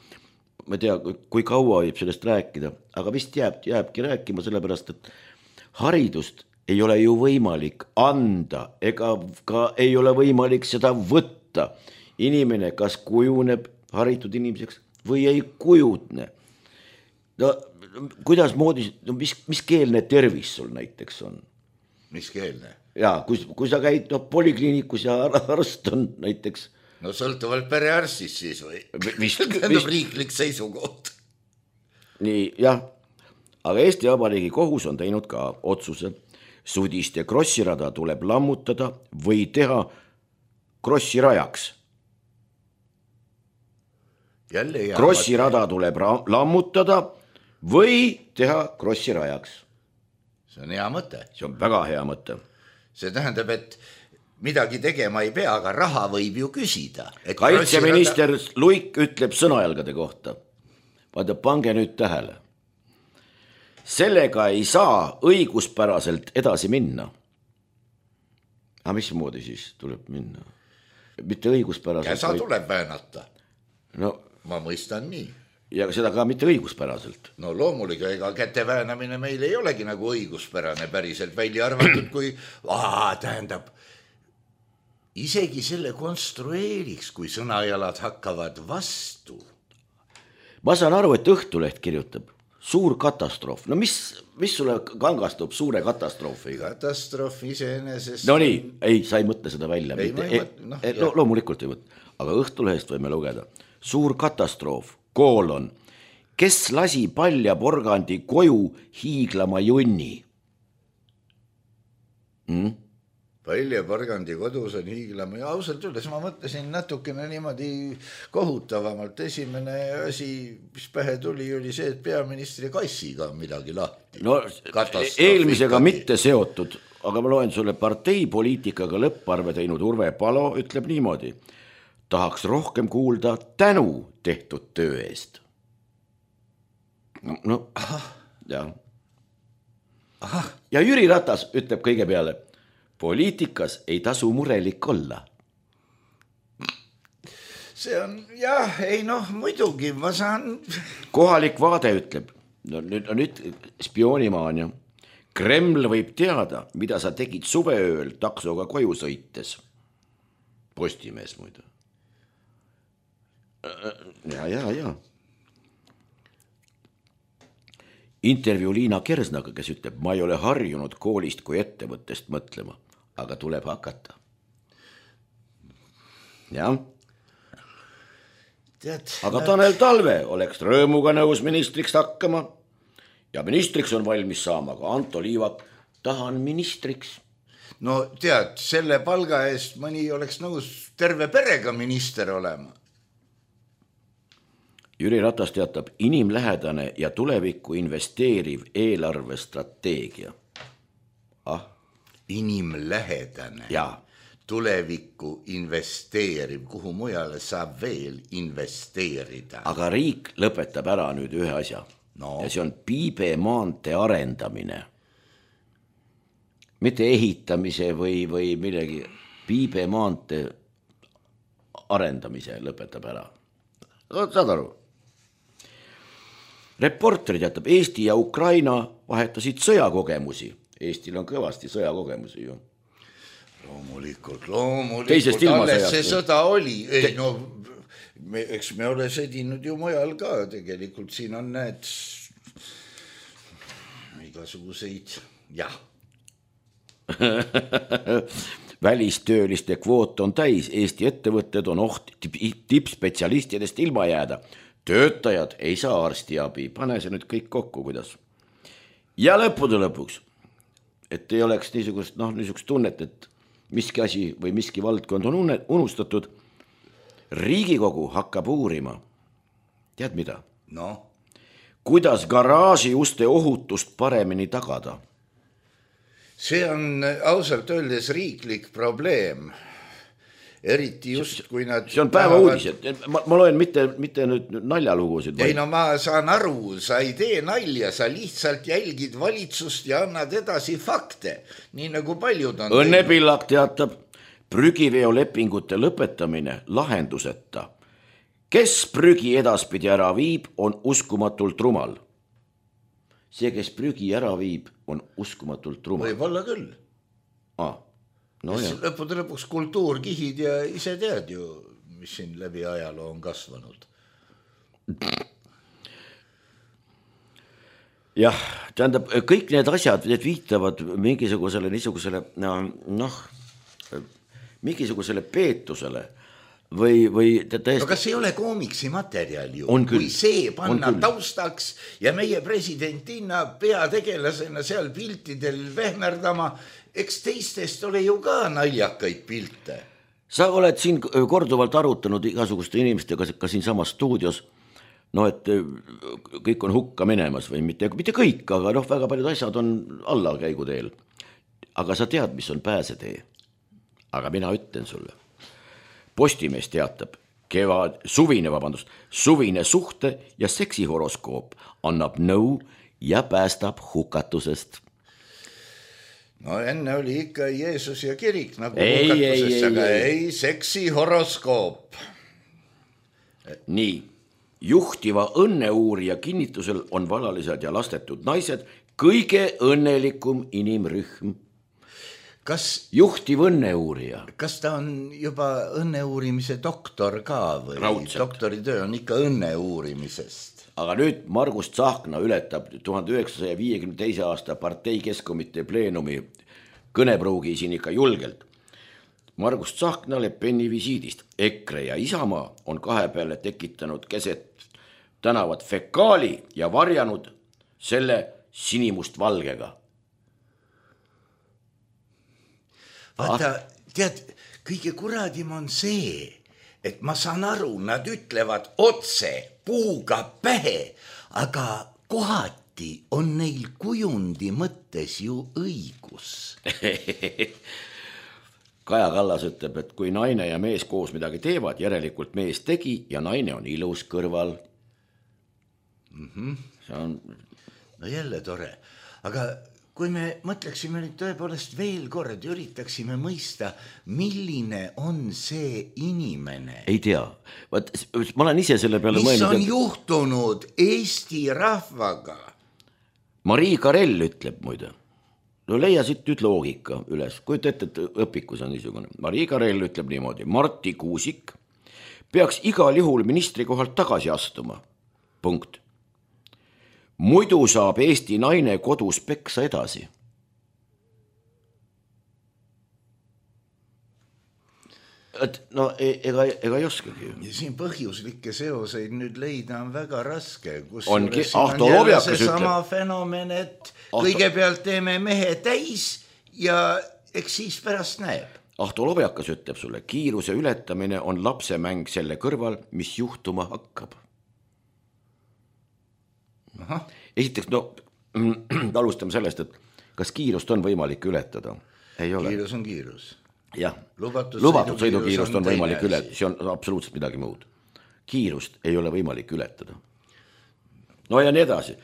ma ei tea, kui kaua võib sellest rääkida, aga vist jääbki rääkima sellepärast, et haridust ei ole ju võimalik anda, ega ka ei ole võimalik seda võtta. Inimene kas kujuneb haritud inimeseks või ei kujutne. No, kuidas moodi, mis keelne tervis sul näiteks on? Mis keelne? Jaa, kui sa käid polikliinikus ja arst on näiteks... No sõltuvalt perearstist siis või? Tähendab riiklik seisukoht. Nii, jah. Aga Eesti Vabariigi kohus on teinud ka otsuse. Sudiste krossirada tuleb lammutada või teha krossirajaks. Krossirada tuleb lammutada või teha krossirajaks. See on hea mõte. See on väga hea mõte. See tähendab, et midagi tegema ei pea, aga raha võib ju küsida. Kaitseminister Luik ütleb sõnajalgade kohta. Vaata, pange nüüd tähele. Sellega ei saa õiguspäraselt edasi minna. Aga mismoodi siis tuleb minna? Mitte õiguspäraselt. Käsa tuleb väänata. No, ma mõistan nii. Ja seda ka mitte õiguspäraselt. No loomulikult, ega käte väänamine meil ei olegi nagu õiguspärane päriselt välja arvatud, kui tähendab, isegi selle konstrueeriks, kui sõnajalad hakkavad vastu. Ma saan aru, et Õhtuleht kirjutab. Suur katastroof. No mis sulle kangastub suure katastroofiga? Katastroof iseenesest... No nii, ei, sa ei mõtle seda välja. Loomulikult ei mõtle. Aga Õhtulehest võime lugeda. Suur katastroof, koolon. Kes lasi palja porgandi koju hiiglama junni? Palja porgandi kodus on hiiglama. Ja ausalt öeldes ma mõtlesin natukene niimoodi kohutavamalt. Esimene asi, mis pähe tuli, oli see, et peaministri kassiga on midagi lahti. No, eelmisega mitte seotud, aga ma loen sulle parteipoliitikaga lõpparve teinud Urve Palo ütleb niimoodi. Tahaks rohkem kuulda tänu tehtud töö eest. No, jah. Ja Jüri Ratas ütleb kõige peale, poliitikas ei tasu murelik olla. See on, jah, ei noh, muidugi, ma saan... Kohalik vaade ütleb, nüüd spioonimaania. Kreml võib teada, mida sa tegid suveööl taksoga koju sõites. Postimees muidu. Ja. Intervjuu Liina Kersnaga, kes ütleb, ma ei ole harjunud koolist kui ettevõttest mõtlema, aga tuleb hakata. Jah. Aga Tanel Talve oleks rõõmuga nõus ministriks hakkama ja ministriks on valmis saama ka Anto Liivak. Tahan ministriks. No tead, selle palga eest mõni oleks nõus terve perega minister olema. Jüri Ratas teatab inimlähedane ja tulevikku investeeriv eelarvestrateegia. Inimlähedane. Jaa. Tulevikku investeeriv, kuhu mujale saab veel investeerida. Aga riik lõpetab ära nüüd ühe asja. No. Ja see on Piibe maantee arendamine. Mitte ehitamise või millegi. Piibe maantee arendamise lõpetab ära. Saad aru? Reporteri teatab, Eesti ja Ukraina vahetasid sõjakogemusi. Eestil on kõvasti sõjakogemusi ju. Loomulikult, alles see sõda oli. Ei, no, eks me ole sõdinud ju mujal ka, tegelikult siin on need igasuguseid, jah. Välistööliste kvoot on täis, Eesti ettevõtted on oht tippspetsialistidest ilma jääda. Töötajad ei saa arstiabi, pane see nüüd kõik kokku, kuidas. Ja lõppude lõpuks, et ei oleks niisugust tunnet, et miski asi või miski valdkond on unustatud. Riigikogu hakkab uurima. Tead mida? No? Kuidas garaaži uste ohutust paremini tagada? See on ausalt öeldes riiklik probleem. Eriti just, kui nad... See on päeva uudised. Ma loen mitte nüüd naljalugusid. Ei, no ma saan aru, sa ei tee nalja, sa lihtsalt jälgid valitsust ja annad edasi fakte, nii nagu paljud on. Õnne Pillak teatab, prügiveolepingute lõpetamine lahenduseta. Kes prügi edaspidi ära viib, on uskumatult rumal. See, kes prügi ära viib, on uskumatult rumal. Võib-olla küll. No lõppude lõpuks kultuurkihid ja ise tead ju, mis siin läbi ajaloo on kasvanud. Jah, tähendab, kõik need asjad, need viitavad mingisugusele mingisugusele peetusele või täiesti... No kas ei ole koomiksi materjal ju? On küll. Kui see panna taustaks ja meie presidentina peategelasena seal piltidel vehmerdama, eks teistest ole ju ka naljakaid pilte. Sa oled siin korduvalt arutanud igasuguste inimestega ka siin samas stuudios, et kõik on hukka minemas või mitte kõik, aga väga paljud asjad on allakäigu teel. Aga sa tead, mis on pääsetee. Aga mina ütlen sulle. Postimees teatab, suvine suhte ja seksihoroskoop annab nõu ja päästab hukatusest. No enne oli ikka Jeesus ja kirik nagu hukatusest, aga ei seksihoroskoop. Nii, juhtiva õnneuurija kinnitusel on valalised ja lastetud naised kõige õnnelikum inimrühm. Juhtiv õnneuurija. Kas ta on juba õnneuurimise doktor ka või? Raudselt. Doktoritöö on ikka õnneuurimisest. Aga nüüd Margus Tsahkna ületab 1952. aasta partei keskkomitee pleenumi kõnepruugi siin ikka julgelt. Margus Tsahkna Le Peni visiidist. EKRE ja Isamaa on kahe peale tekitanud keset tänavat fekaali ja varjanud selle sinimust valgega. Vaata, tead, kõige kuradim on see, et ma saan aru, nad ütlevad otse puuga pähe, aga kohati on neil kujundi mõttes ju õigus. Kaja Kallas ütleb, et kui naine ja mees koos midagi teevad, järelikult mees tegi ja naine on ilus kõrval. See on... No jälle tore, aga... Kui me mõtleksime nüüd tõepoolest veel kord, üritaksime mõista, milline on see inimene. Ei tea. Ma olen ise selle peale mõelnud. Mis on juhtunud Eesti rahvaga? Marii Karell ütleb muide. No leia siit nüüd loogika üles. Kui ette, et õpikus on niisugune. Marii Karell ütleb niimoodi. Marti Kuusik peaks igal juhul ministri kohalt tagasi astuma. Punkt. Muidu saab Eesti naine kodus peksa edasi. et no ega ei oskagi. Ja siin põhjuslikke seoseid nüüd leida on väga raske. Ongi, Ahto Lobjakas ütleb. Sama fenomen, et kõigepealt teeme mehe täis ja eks siis pärast näeb. Ahto Lobjakas ütleb sulle, kiiruse ületamine on lapsemäng selle kõrval, mis juhtuma hakkab. Aha. Esiteks, no alustame sellest, et kas kiirust on võimalik ületada? Ei ole. Kiirus on kiirus. Jah, lubatud sõidukiirust on võimalik ületada, see on absoluutselt midagi muud. Kiirust ei ole võimalik ületada. No ja nii edasi.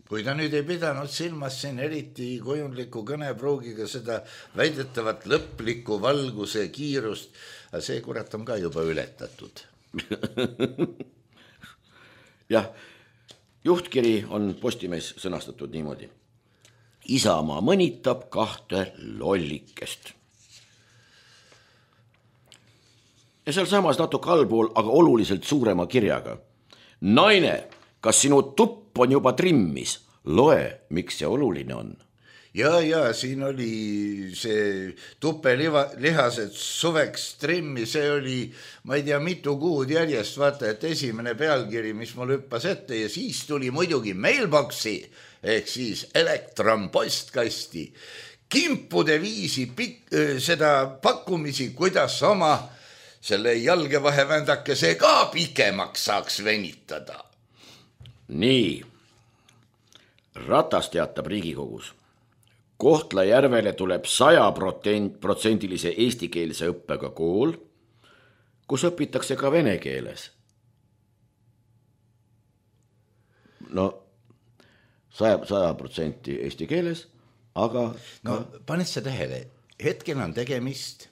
Kui ta nüüd ei pidanud silmas siin eriti kujundliku kõnepruugiga seda väidetavat lõplikku valguse kiirust, aga see kurat on ka juba ületatud. Jah, juhtkiri on Postimees sõnastatud niimoodi. Isamaa mõnitab 2 lollikest. Ja seal samas natuke allpool, aga oluliselt suurema kirjaga. Naine, kas sinu tupp on juba trimmis? Loe, miks see oluline on. Ja siin oli see tupelihased suveks trimmi, see oli, ma ei tea, mitu kuud järjest, vaata, et esimene pealkiri, mis mul hüppas ette ja siis tuli muidugi mailboxi, ehk siis elektronpostkasti, kimpude viisi seda pakkumisi, kuidas oma selle jalgevahevändakese ka pikemaks saaks venitada. Nii, Ratas teatab Riigikogus. Kohtla-Järvele tuleb 100% eestikeelse õppega kool, kus õpitakse ka vene keeles. No 100% eesti keeles, aga... No paned sa tähele, hetkel on tegemist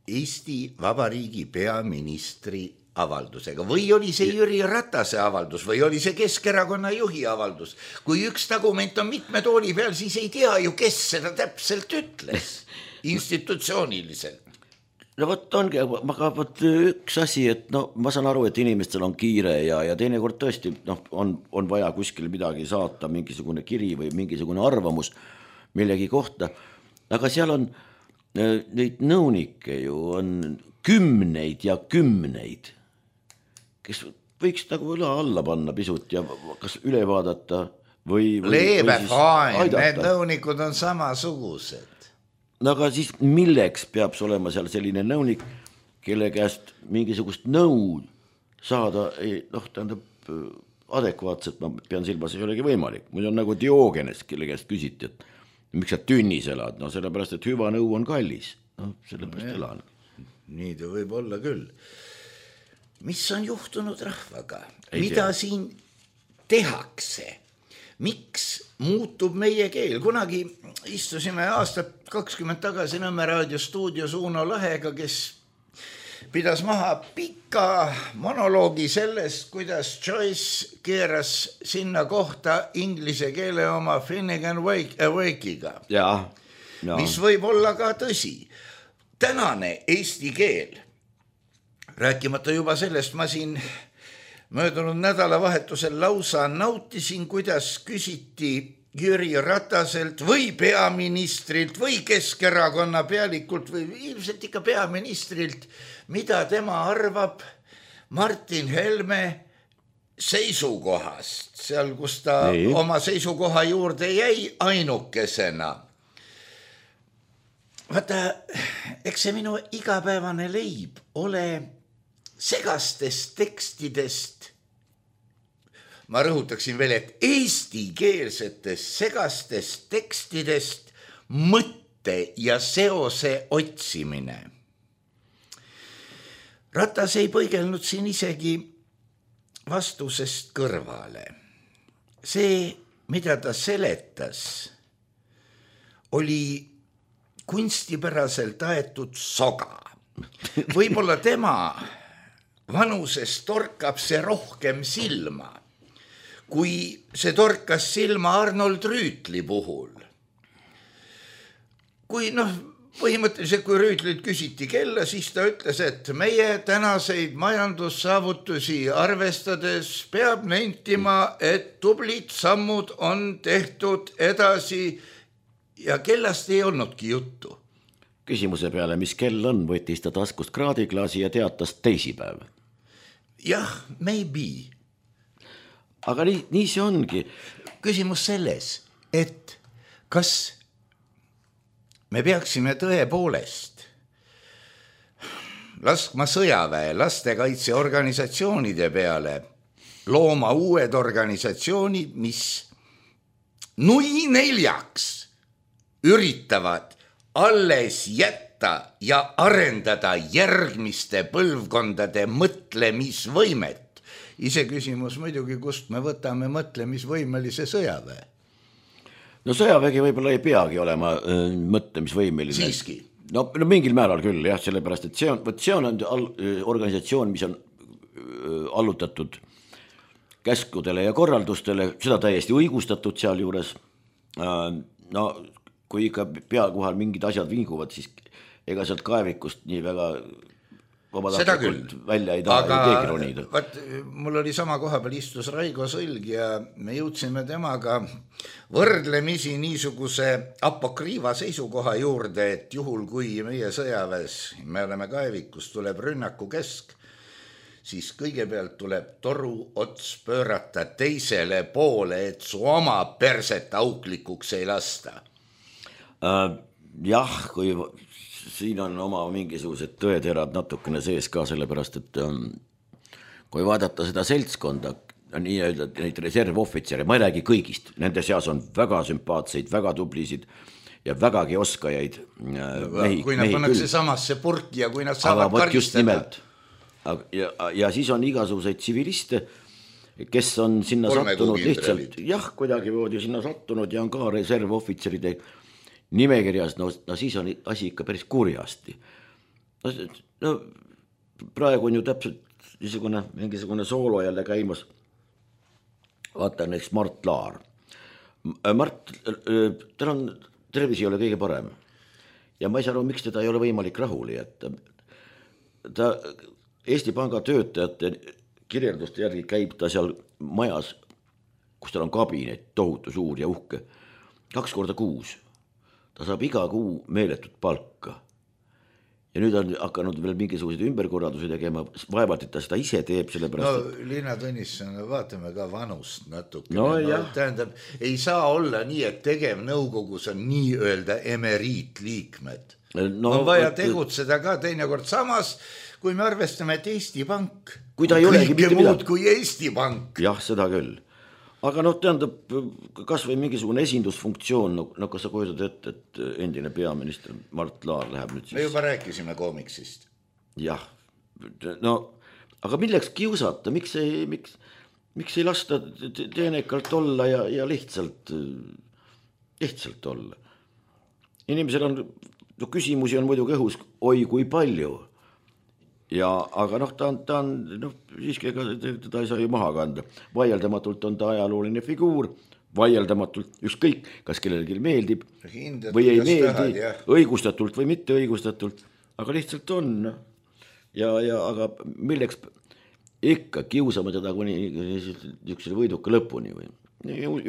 Eesti Vabariigi peaministri avaldusega või oli see Jüri Ratase avaldus või oli see Keskerakonna juhi avaldus. Kui üks dokument on mitme tooli peal, siis ei tea ju, kes seda täpselt ütles institutsiooniliselt. No vot ongi, aga üks asi, et no ma saan aru, et inimestel on kiire ja teinekord tõesti on vaja kuskil midagi saata, mingisugune kiri või mingisugune arvamus millegi kohta, aga seal on neid nõunikke ju on kümneid ja kümneid, kes võiks nagu üle alla panna pisut ja kas üle vaadata või Leebe fine, need nõunikud on samasugused. No aga siis milleks peab olema seal selline nõunik, kelle käest mingisugust nõu saada, tähendab adekvaatselt, ma pean silmas, ei olegi võimalik. Muidu on nagu Diogenes, kelle käest küsiti, et miks sa tünnis elad? No sellepärast, et hüva nõu on kallis. No sellepärast elan. Nii ta võib olla küll. Mis on juhtunud rahvaga? Mida siin tehakse? Miks muutub meie keel? Kunagi istusime aastat 20 tagasi Nõmme raadiostuudios Uno Lahega, kes pidas maha pika monoloogi sellest, kuidas Joyce keeras sinna kohta inglise keele oma Finnegan Wake'iga. Mis võib olla ka tõsi. Tänane eesti keel, rääkimata juba sellest, ma siin möödunud nädalavahetusel lausa nautisin, kuidas küsiti Jüri Rataselt või peaministrilt või Keskerakonna pealikult või ilmselt ikka peaministrilt, mida tema arvab Martin Helme seisukohast, seal kus ta oma seisukoha juurde jäi ainukesena. Vaata, eks see minu igapäevane leib ole segastest tekstidest, ma rõhutaksin veel, et eestikeelsetest segastest tekstidest mõtte ja seose otsimine. Ratas ei põigelnud siin isegi vastusest kõrvale. See, mida ta seletas, oli kunstipäraselt aetud soga. Võib-olla tema vanuses torkab see rohkem silma, kui see torkas silma Arnold Rüütli puhul. Kui põhimõtteliselt, kui Rüütlilt küsiti kella, siis ta ütles, et meie tänaseid majandussaavutusi arvestades peab nentima, et tublid sammud on tehtud edasi ja kellast ei olnudki juttu. küsimuse peale, mis kell on, võttis ta taskust kraadiklaasi ja teatas teisipäev. Jah, maybe. Aga nii see ongi. Küsimus selles, et kas me peaksime tõepoolest laskma sõjaväe lastekaitseorganisatsioonide peale looma uued organisatsioonid, mis nui neljaks üritavad alles jätta ja arendada järgmiste põlvkondade mõtlemisvõimet. Iseküsimus muidugi, kust me võtame mõtlemisvõimelise sõjaväe. No sõjavägi võib-olla ei peagi olema mõtlemisvõimeline. Siiski. No mingil määral küll, jah, sellepärast, et see on organisatsioon, mis on allutatud käskudele ja korraldustele, seda täiesti õigustatud seal juures. No kui ikka pea kohal mingid asjad vinguvad, siis ega sealt kaevikust nii väga vabatahtlikult välja ei taha keegi ronida. Mul oli sama koha peal istus Raigo Sõlg ja me jõudsime temaga võrdlemisi niisuguse apokriiva seisukoha juurde, et juhul kui meie sõjaväes, me oleme kaevikus, tuleb rünnaku kesk, siis kõigepealt tuleb toru ots pöörata teisele poole, et su oma perset auklikuks ei lasta. Jah, kui siin on oma mingisugused tõeterad natukene sees ka, sellepärast, et kui vaadata seda seltskonda, nii-öelda neid reservohvitsere, ma ei räägi kõigist, nende seas on väga sümpaatseid, väga tublisid ja vägagi oskajaid mehi. Kui nad pannakse samasse purki ja kui nad saavad karistada. Ja siis on igasuguseid tsiviliste, kes on sinna sattunud lihtsalt, jah, kuidagi voodi sinna sattunud ja on ka reservohvitseride nimekirjas, no siis on asi ikka päris kurjasti. No, praegu on ju täpselt mingisugune soolo jälle käimas. Vaata näiteks Mart Laar. Mart, tal on tervis ei ole kõige parem. Ja ma ei saa aru, miks teda ei ole võimalik rahuli jätta. Ta Eesti Panga töötajate kirjelduste järgi käib ta seal majas, kus tal on kabinet, tohutu suur ja uhke, 2 korda kuus. Ta saab iga kuu meeletut palka. Ja nüüd on hakanud veel mingisuguseid ümberkorraldusi tegema, vaevalt, et ta seda ise teeb, sellepärast. No Liina Tõnisson, vaatame ka vanust natuke. No, tähendab, ei saa olla nii, et tegevnõukogus on nii öelda emeriitliikmed. No, on vaja tegutseda ka teinekord samas, kui me arvestame, et Eesti Pank kõike muud kui Eesti Pank. Jah, seda küll. Aga tähendab, kas või mingisugune esindusfunktsioon, no kas sa kujutad ette, et endine peaminister Mart Laar läheb nüüd siis? Me juba rääkisime koomiksist. Jah, no, aga milleks kiusata, miks ei lasta teenekalt olla ja lihtsalt olla? Inimesel on, küsimusi on muidugi õhus, oi kui palju. Ja, aga ta on siiski teda ei saa ju maha kanda. Vaieldamatult on ta ajalooline figuur, vaieldamatult ükskõik, kas kellelgi meeldib või ei meeldi, õigustatult või mitte õigustatult, aga lihtsalt on. Aga milleks ikka kiusame teda kuni niisuguse võiduka lõpuni või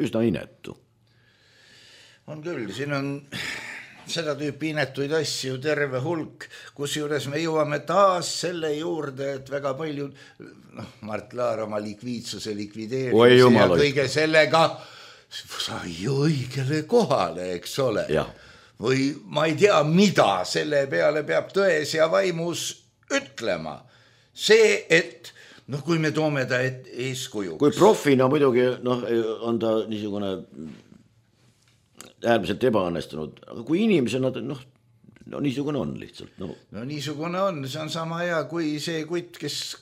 üsna inetu. On küll, siin on seda tüüpi inetuid asju terve hulk, kus juures me jõuame taas selle juurde, et väga palju Mart Laar oma likviidsuse likvideerimise ja kõige sellega sai ju õigele kohale, eks ole. Ja. Või ma ei tea, mida selle peale peab tões ja vaimus ütlema. See, et kui me toome ta eeskujuks. Kui profina muidugi on ta niisugune äärmiselt ebaõnnestunud, aga kui inimesena niisugune on lihtsalt. No niisugune on, see on sama hea kui see kutt, kes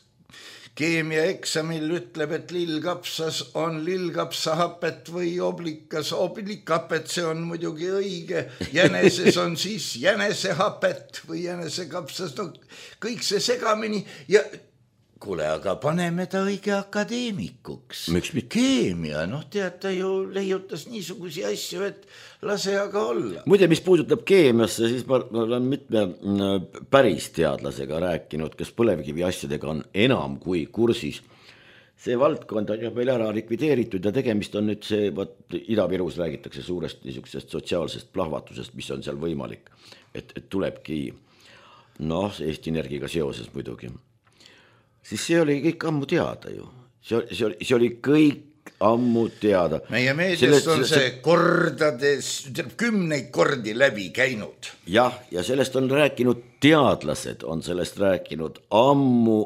keemiaeksamil ütleb, et lillkapsas on lillkapsahapet või oblikapet, see on muidugi õige, jäneses on siis jänesehapet või jänesekapsas, kõik see segamini ja kuule, aga paneme ta õige akadeemikuks. Keemia, tead, ta ju leiutas niisugusi asju, et lase aga olla. Muide, mis puudutab keemiasse, siis ma olen mitme päris teadlasega rääkinud, kes põlevkivi asjadega on enam kui kursis. see valdkond on meil ära likvideeritud ja tegemist on nüüd see, Ida-Virus räägitakse suurest niisugusest sotsiaalsest plahvatusest, mis on seal võimalik, et tulebki Eesti Energiaga seoses muidugi. Siis see oli kõik ammu teada ju, see oli kõik ammu teada. Meie meediast on see kordades, 10 kordi läbi käinud. Jah, ja sellest on rääkinud teadlased, on sellest rääkinud ammu.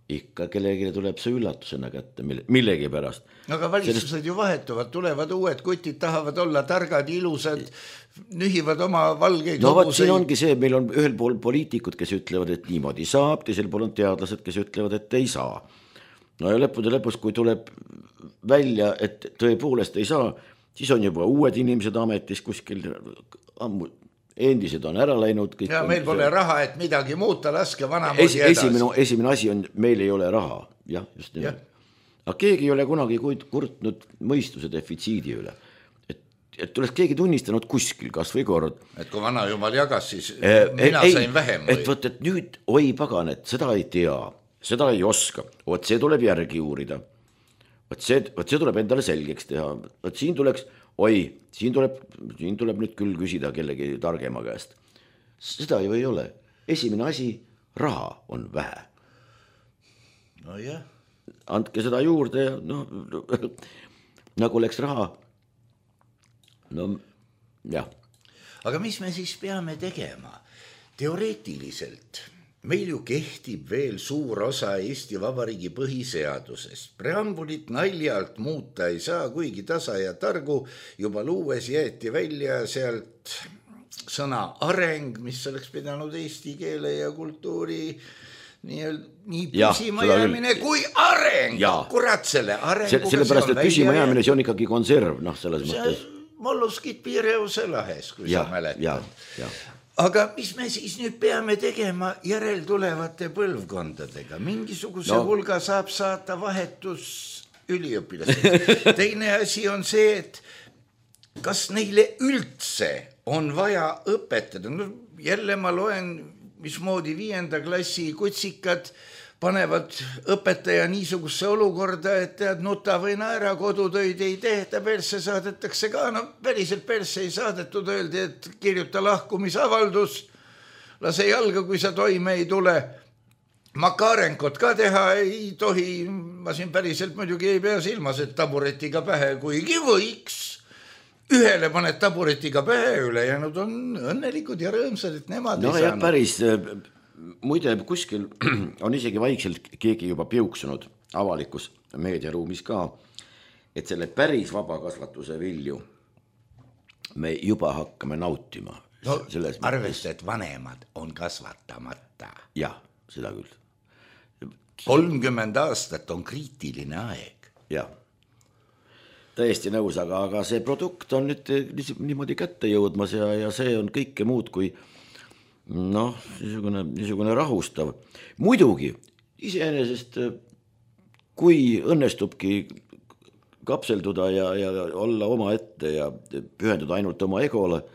Ikka kellegile tuleb see üllatusena kätte millegi pärast. Aga valitsused ju vahetuvad, tulevad uued kutid, tahavad olla targad, ilusad, nühivad oma valgeid hobuseid. Siin ongi see, meil on ühel pool poliitikud, kes ütlevad, et niimoodi saab, teisel pool on teadlased, kes ütlevad, et ei saa. Ja lõpus, kui tuleb välja, et tõepoolest ei saa, siis on juba uued inimesed ametis kuskil ammu. Endised on ära läinud. Ja meil pole raha, et midagi muuta, laske vanamoodi edasi. Esimene asi on, meil ei ole raha. Jah, just nii. Aga keegi ei ole kunagi kurtnud mõistuse defitsiidi üle. Et tuleks keegi tunnistanud kuskil, kas või kord. Et kui vana jumal jagas, siis mina sain vähem. Et nüüd, oi pagan, et seda ei tea, seda ei oska. See tuleb järgi uurida. See tuleb endale selgeks teha. Siin tuleks... siin tuleb nüüd küll küsida kellegi targema käest. Seda ju ei ole. Esimene asi, raha on vähe. No jah. Andke seda juurde ja nagu läks raha. Jah. Aga mis me siis peame tegema? Teoreetiliselt meil ju kehtib veel suur osa Eesti Vabariigi põhiseadusest. Preambulit naljalt muuta ei saa, kuigi tasa ja targu juba luues jäeti välja sealt sõna areng, mis oleks pidanud eesti keele ja kultuuri nii püsima jäämine kui areng. Kurat selle arenguga sellepärast, et püsima jäämine, see on ikkagi konserv, selles mõttes. Molluskid Piireuse lahes, kui sa mäletad. Aga mis me siis nüüd peame tegema järeltulevate põlvkondadega? Mingisuguse hulga saab saata vahetus üliõpilased. Teine asi on see, et kas neile üldse on vaja õpetada. Jälle ma loen, mismoodi 5. klassi kutsikad panevad õpetaja niisugusse olukorda, et tead, nuta või naera, kodutöid ei tehta, persse saadetakse ka. Päriselt persse ei saadetud, öeldi, et kirjuta lahkumisavaldus, lase jalga, kui sa toime ei tule. Makarenkot ka teha ei tohi, ma siin päriselt muidugi ei pea silmas, et taburetiga pähe, kuigi võiks. Ühele paned taburetiga pähe, ülejäänud on õnnelikud ja rõõmsad, et nemad ei saanud. Päris... Muide, kuskil on isegi vaikselt keegi juba piuksunud avalikus meediaruumis ka, et selle päris vabakasvatuse vilju me juba hakkame nautima. Arvesta, et vanemad on kasvatamata. Jah, seda küll. 30 aastat on kriitiline aeg. Jah, täiesti nõus, aga see produkt on nüüd niimoodi kätte jõudmas ja see on kõike muud kui niisugune rahustav. Muidugi, iseenesest, kui õnnestubki kapselduda ja olla oma ette ja pühenduda ainult oma egole,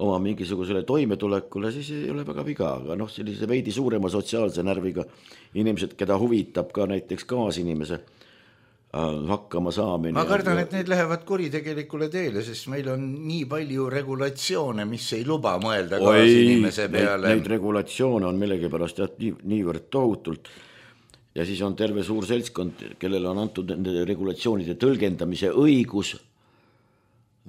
oma mingisugusele toimetulekule, siis ei ole väga viga, aga sellise veidi suurema sotsiaalse närviga inimesed, keda huvitab ka näiteks kaasinimese hakkama saamine. Ma kardan, et need lähevad kuritegelikule teele, sest meil on nii palju regulatsioone, mis ei luba mõelda kaasinimese peale. Neid regulatsioone on millegipärast niivõrd tohutult ja siis on terve suur seltskond, kellele on antud nende regulatsioonide tõlgendamise õigus.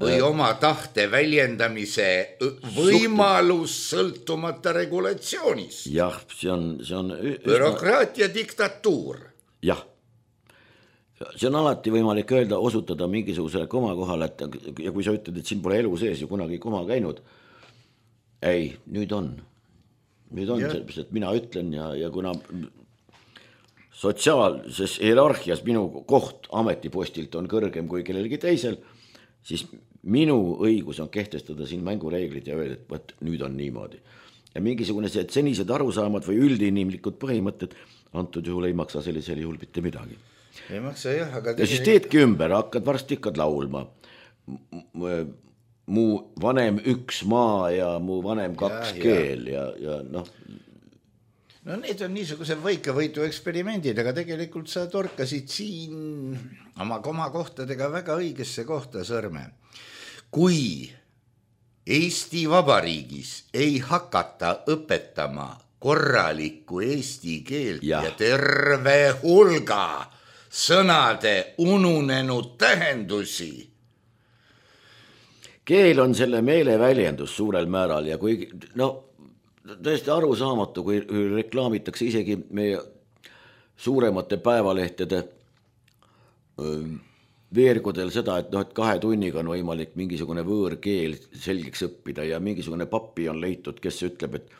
Või oma tahte väljendamise võimalus sõltumata regulatsioonist. Jah, see on bürokraatia diktatuur. Jah. See on alati võimalik öelda, osutada mingisugusele koma kohale, ja kui sa ütled, et siin pole elu sees ju kunagi koma käinud, ei, nüüd on, sellepärast, et mina ütlen ja kuna sotsiaalses hierarhias minu koht ametipostilt on kõrgem kui kellelgi teisel, siis minu õigus on kehtestada siin mängureeglid ja öelda, et võt, nüüd on niimoodi. Ja mingisugune see senised arusaamad või üldinimlikud põhimõtted antud juhul ei maksa sellisel juhul mitte midagi. Ei maksa jah, aga... Ja siis teedki ümber, varsti hakkad laulma. Mu vanem 1 maa ja mu vanem 2 keel ja No need on niisugused võikavõitu eksperimendid, aga tegelikult sa torkasid siin oma komakohtadega väga õigesse kohta sõrme. Kui Eesti Vabariigis ei hakata õpetama korralikku eesti keelt ja terve hulga sõnade ununenud tähendusi. Keel on selle meeleväljendus suurel määral ja kui tõesti arusaamatu, kui reklaamitakse isegi meie suuremate päevalehtede veergudel seda, et 2 tunniga on võimalik mingisugune võõrkeel selgeks õppida ja mingisugune papi on leitud, kes ütleb, et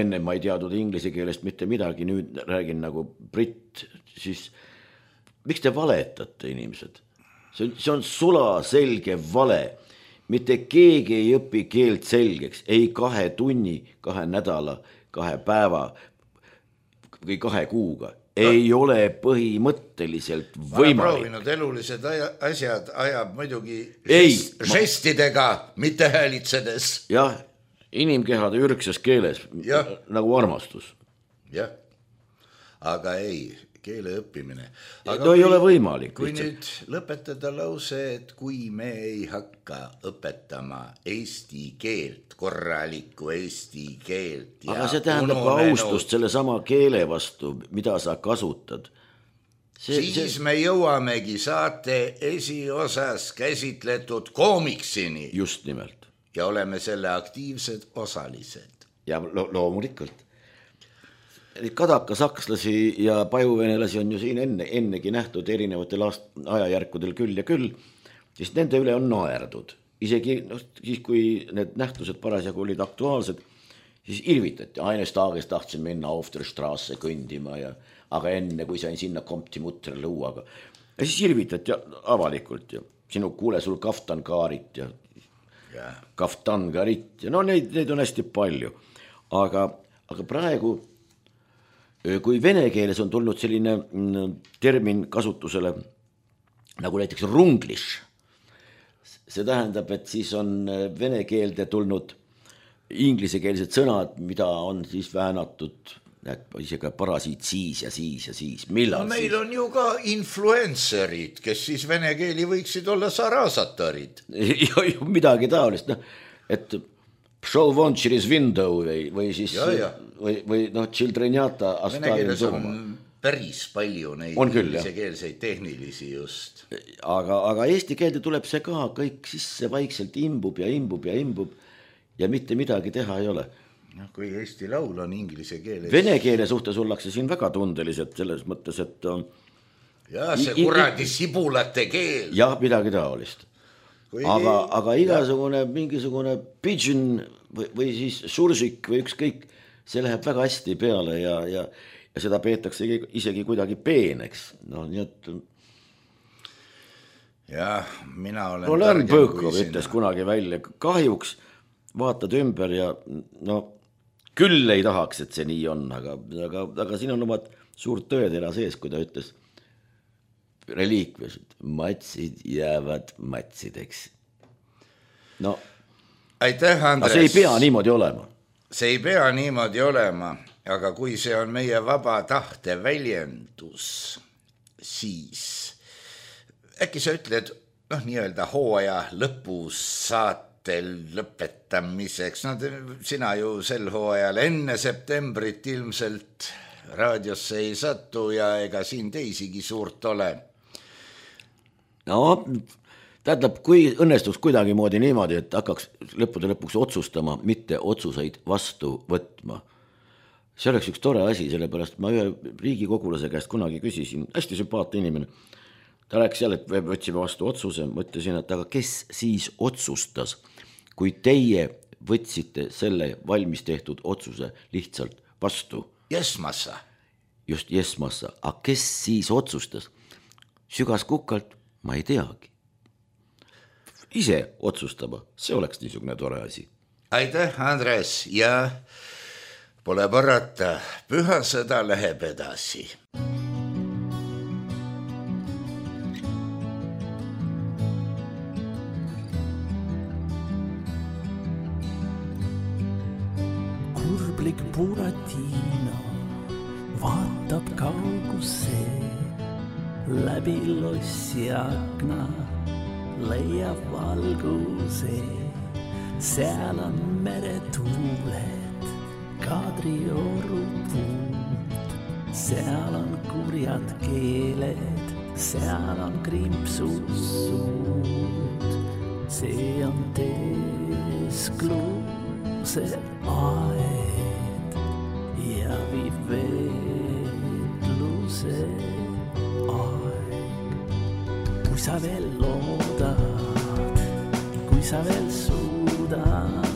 enne ma ei teadnud inglise keelest mitte midagi, nüüd räägin nagu britt, siis miks te valetate, inimesed? See on sula selge vale. Mitte keegi ei õpi keelt selgeks, ei 2 tunni, 2 nädala, 2 päeva või 2 kuuga. Ei ole põhimõtteliselt võimalik. Ma olen proovinud elulised asjad ajab muidugi žestidega, mitte häälitsedes. Jah, inimkehade ürgses keeles, nagu armastus. Jah, aga ei, keele õppimine. Aga ei ole võimalik. Kui nüüd lõpetada lause, et kui me ei hakka õpetama eesti keelt, korralikku eesti keelt. Aga see tähendab ka austust selle sama keele vastu, mida sa kasutad. Siis me jõuamegi saate esiosas käsitletud koomiksini. Just nimelt. Ja oleme selle aktiivsed osalised. Ja loomulikult. Kadaka sakslasi ja pajuvenelasi on ju siin ennegi nähtud erinevatel ajajärkudel küll ja küll, siis nende üle on naerdud. Isegi siis, kui need nähtused parasjagu olid aktuaalsed, siis irvitati. Eines tages tahtsin minna auf der Straße kõndima, aga enne, kui sain sinna kompti mutre lõuaga. Ja siis irvitati avalikult ja sinu kuule sul kaftankaarit ja kaftangarit ja neid on hästi palju. Aga praegu kui vene keeles on tulnud selline termin kasutusele nagu näiteks runglish, see tähendab, et siis on vene keelde tulnud inglisekeelsed sõnad, mida on siis väänatud isegi parasiit siis ja siis ja siis. Millal no, meil on ju ka influencerid, kes siis vene keeli võiksid olla sarasatarid. Midagi taolist, et Pšol von через window või siis või childrenjata vene keeles on päris palju neid inglisekeelseid tehnilisi just. Aga eesti keelde tuleb see ka kõik sisse vaikselt imbub ja mitte midagi teha ei ole. Kui eesti laul on inglise keeles. Vene keele suhtes ollakse siin väga tundelised selles mõttes, et see kuradi sibulate keel. Jah, midagi taolist. Aga igasugune mingisugune pigeon või siis sursik või ükskõik, see läheb väga hästi peale ja seda peetakse isegi kuidagi peeneks. Nii et... Jah, mina olen... Lärm Põõkov ütles kunagi välja, kahjuks vaatad ümber ja küll ei tahaks, et see nii on, aga siin on omad suurt tõetera sees, kui ta ütles reliikviased, matsid jäävad matsideks. Aitäh, Andres. See ei pea niimoodi olema. See ei pea niimoodi olema, aga kui see on meie vaba tahte väljendus, siis äkki sa ütled, nii-öelda hooaja lõpus saatel lõpetamiseks, sina ju sel hooajal enne septembrit ilmselt raadiosse ei satu ja ega siin teisigi suurt ole. Tähendab, kui õnnestuks kuidagi moodi niimoodi, et hakkaks lõppude lõpuks otsustama, mitte otsuseid vastu võtma. See oleks üks tore asi, sellepärast ma ühe riigikogulase käest kunagi küsisin, hästi sümpaatne inimene. Ta rääkis jälle, et võtsime vastu otsuse, mõtlesin, et aga kes siis otsustas, kui teie võtsite selle valmis tehtud otsuse lihtsalt vastu? Jesmassa. Just Jesmassa. Aga kes siis otsustas? Sügas kukalt? Ma ei teagi. Ise otsustama, see oleks niisugune tore asi. Aitäh, Andres, ja pole parata, püha sõda läheb edasi. Kurblik Buratino vaatab kaugusse läbi lossi akna, leiab valguse, seal on meretuuled, Kadrioru puud, seal on kurjad keeled, seal on krimpsussuud, see on teeskluse aed ja viib veetluse aeg. Kui sa veel loodad, kui sa veel suudad,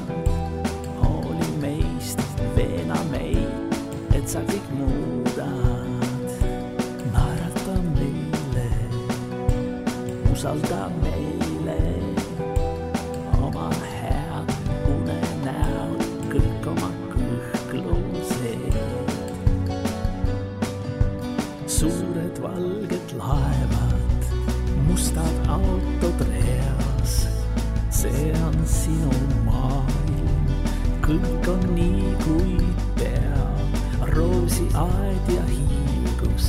hooli meist, veena meid, et sa kõik muudad. Naerata meile, usalda meile, oma head unenäod, kõik oma kõhklused. Suured valged laevad, mustad autod reas, see on sinu maailm, kõik on nii kui peab, roosiaed ja hiigus,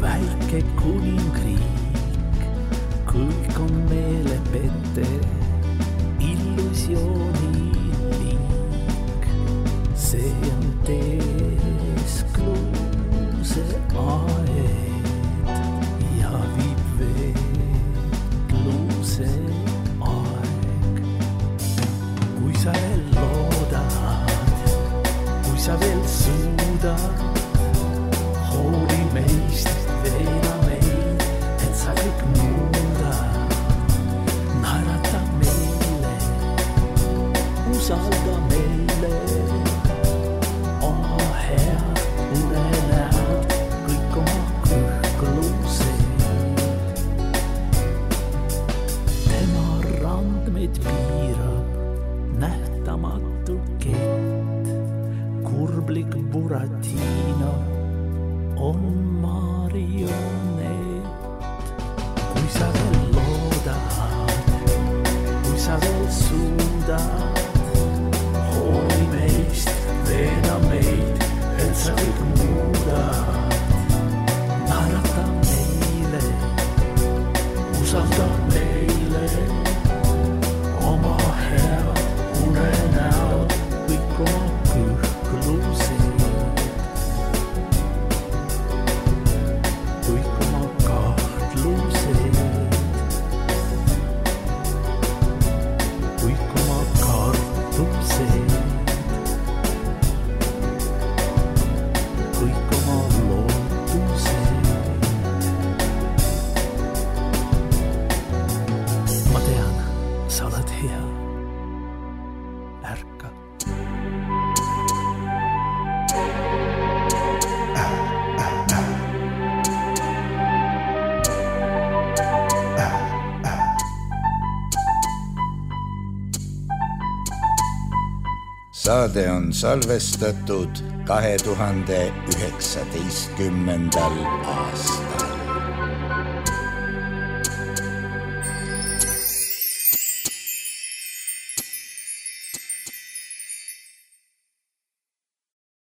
väike kuningriik, kõik on meelepete, illusiooni liik, see on teeskluse aed ja viib veetluse aeg. Kui sa veel loodad, kui sa veel suudad, hooli meist, veena meid, et sa kõik muudad. Naerata meile, usalda meile, oma head unenäod, kõik oma kõhklused. Tema randmeid piirab nähtamatu kett, kurblik Buratino on marionett. Kui sa veel loodad, kui sa veel suudad, hooli meist, veena meid, et sa kõik muudad. Naerata meile, usalda meile, oma head unenäod, kõik oma kõhklused, kõik oma kahtlused, kõik oma kartused, kõik oma lootused. Ma tean, sa oled hea, ärka. Saade on salvestatud 2019. aastal.